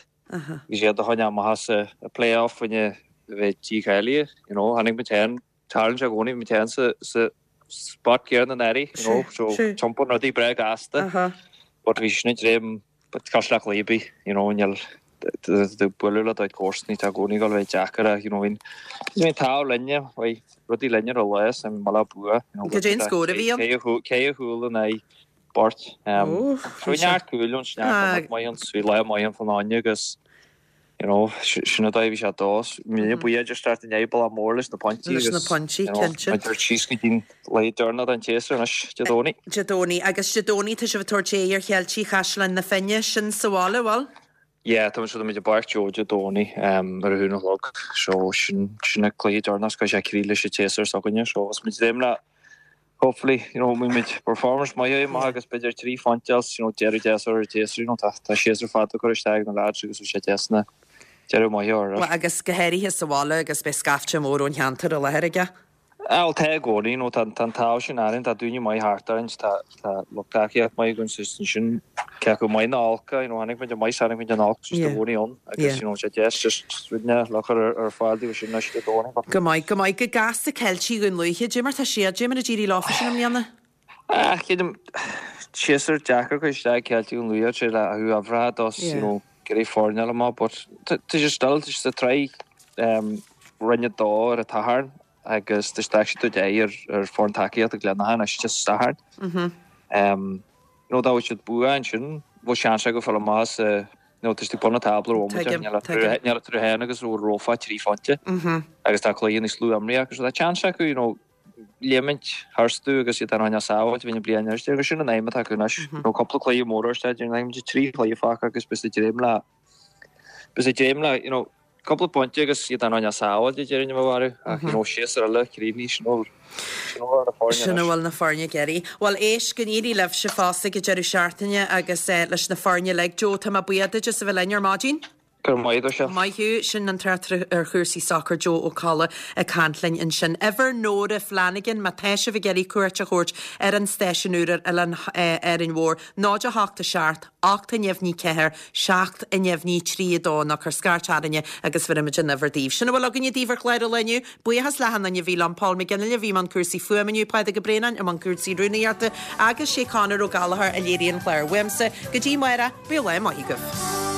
Bhí siad a choinneáil amach as a play-off faoine bheith dícháilithe, you know, tháinig muid féin tarlaíonn sé i gcónaí muid féin sa sa spot céanna anuraidh, you know, so tiompar rudaí breá gasta. But bhí sin dréim but cos le cluiche, you know, níl Tá bualadh le do chomharsanaí tá i gcónaí ag dul a bheith deacair ach you know bhí an t-ádh linne, bhí rudaí linne ar an lá is an mala bua, you know. Cad é an scór a bhí ann? Ceithre chúl in aghaidh beirt. So bhí neart cúil ann, neart maith ann, bhí lá maith ann fán fháinne agus you know, sin an dóigh a bhí sé ag dul. Míle buíochas just start inné bealach mór leis na pointí Leis na pointí, you know, cinnte. Muid síos go dtí an lá deireanach den tséasúr anois, Dé Domhnaigh. Dé Domhnaigh. Agus Dé Domhnaigh tá sibh ag tabhairt aghaidh ar Cheiltigh Chaisleán na Finne, sin sa bhaile, bhfuil? Yeah, tá muid tá muid i bPáirc Joe Dé Domhnaigh um, ar a haon a chlog. So sin sin an cluiche deireanach go sé crí leis an tséasúr s'againne. So agus muid dréim le hopefully, you know, muid performance maith é maith agus b'fhéidir trí phointe else, you know, deireadh deas ar an tséasúr, you know, tá tá séasúr fada curtha isteach ag na lads agus bhí sé deas na deireadh maith a chur air. Bhuel, agus go háirithe sa bhaile agus beidh scaifte mór ón cheantar i láthair aige. Ah, bhuel, tá i gcónaí, you know, tá tá an t-ádh sin orainn, tá daoine maith thart orainn, tá tá lucht tacaíocht maith againn so ansin cé acu maith nó olc, you know, tháinig muid maith, tháinig muid an olc, just i Yeah. gcónaí ann agus, Yeah. you know, sé deas just ruidne le cur ar ar fáil daoibh sin anois Dé Domhnaigh. Go maith, go maith. Go gasta Ceiltigh Dhún Lúiche, cad é mar tá siad, cad é mar a d'éirigh leofa sin i mbliana. Ah, creidim séasúr deacair cur isteach Ceiltigh Dhún Lúiche sé le a thú aimhreatha dos, you Yeah. know, go raibh foirne eile maith, but tá tá sé still, tá sé sa tsraith um, Roinn a dó ar an Satharn agus tá siad ag tabhairt aghaidh ar ar foireann tacaíochta Glenaghan anois Dé Sathairn. Mhm. Um, you know, dá bhfuil siad bua ansin, bhfuil seans acu fáil amach sa you know, tá siad ag bun an tábla ó Tuigim, níl tuigim. eatarthu féin agus ó Rófa trí phointe Mhm. agus tá cluiche níos lú imrithe acu so tá seans acu, you know, léimint tharstu agus iad an sábháilt bhí na bliain anois agus sin an aidhm atá acu anois. You know, cúpla cluiche mór isteach, an aidhm trí chluiche fágtha agus beidh siad ag dréim le beidh siad ag dréim le, you know, cúpla pointe agus iad an sábháilt deireadh na bharú ach you know, séasúr eile críochnaithe sin ó sin ó na foirne Sin a anois. bhfuil na foirne ag iarraidh. Bhuel éist go n-éirí libhse fosta ag an deireadh seachtaine agus eh, leis na foirne uilig. Joe, tá mé buíoch duit as a bheith linn ar maidin. Go raibh maith agat. Maith thú, sin an tráchtaire ar chúrsaí sacair Joe Ó Colla ag caint linn ansin. Uimhir Nóra Flanagan má tá sibh ag iarraidh cuairt a thabhairt ar an stáisiún úr ar Oileán eh, Árainn Mhór, náid a hocht a seacht, ocht a neamhní ceathair, seacht a neamhní trí a dó nó cuir scairt orainne agus bhéarfaimid an uimhir daoibh. Sin a bhfuil againne daoibh ar chlár an lae inniu, buíochas le hachan duine a bhí liom Paul McGinley a bhí i mbun cúrsaí fuaime inniu, Pádraig Ó Braonáin i mbun cúrsaí rúnaíochta agus sé Conor Ó Gallchóir a léirigh an clár. Uaimse go dtí amárach, bíodh lá maith agaibh.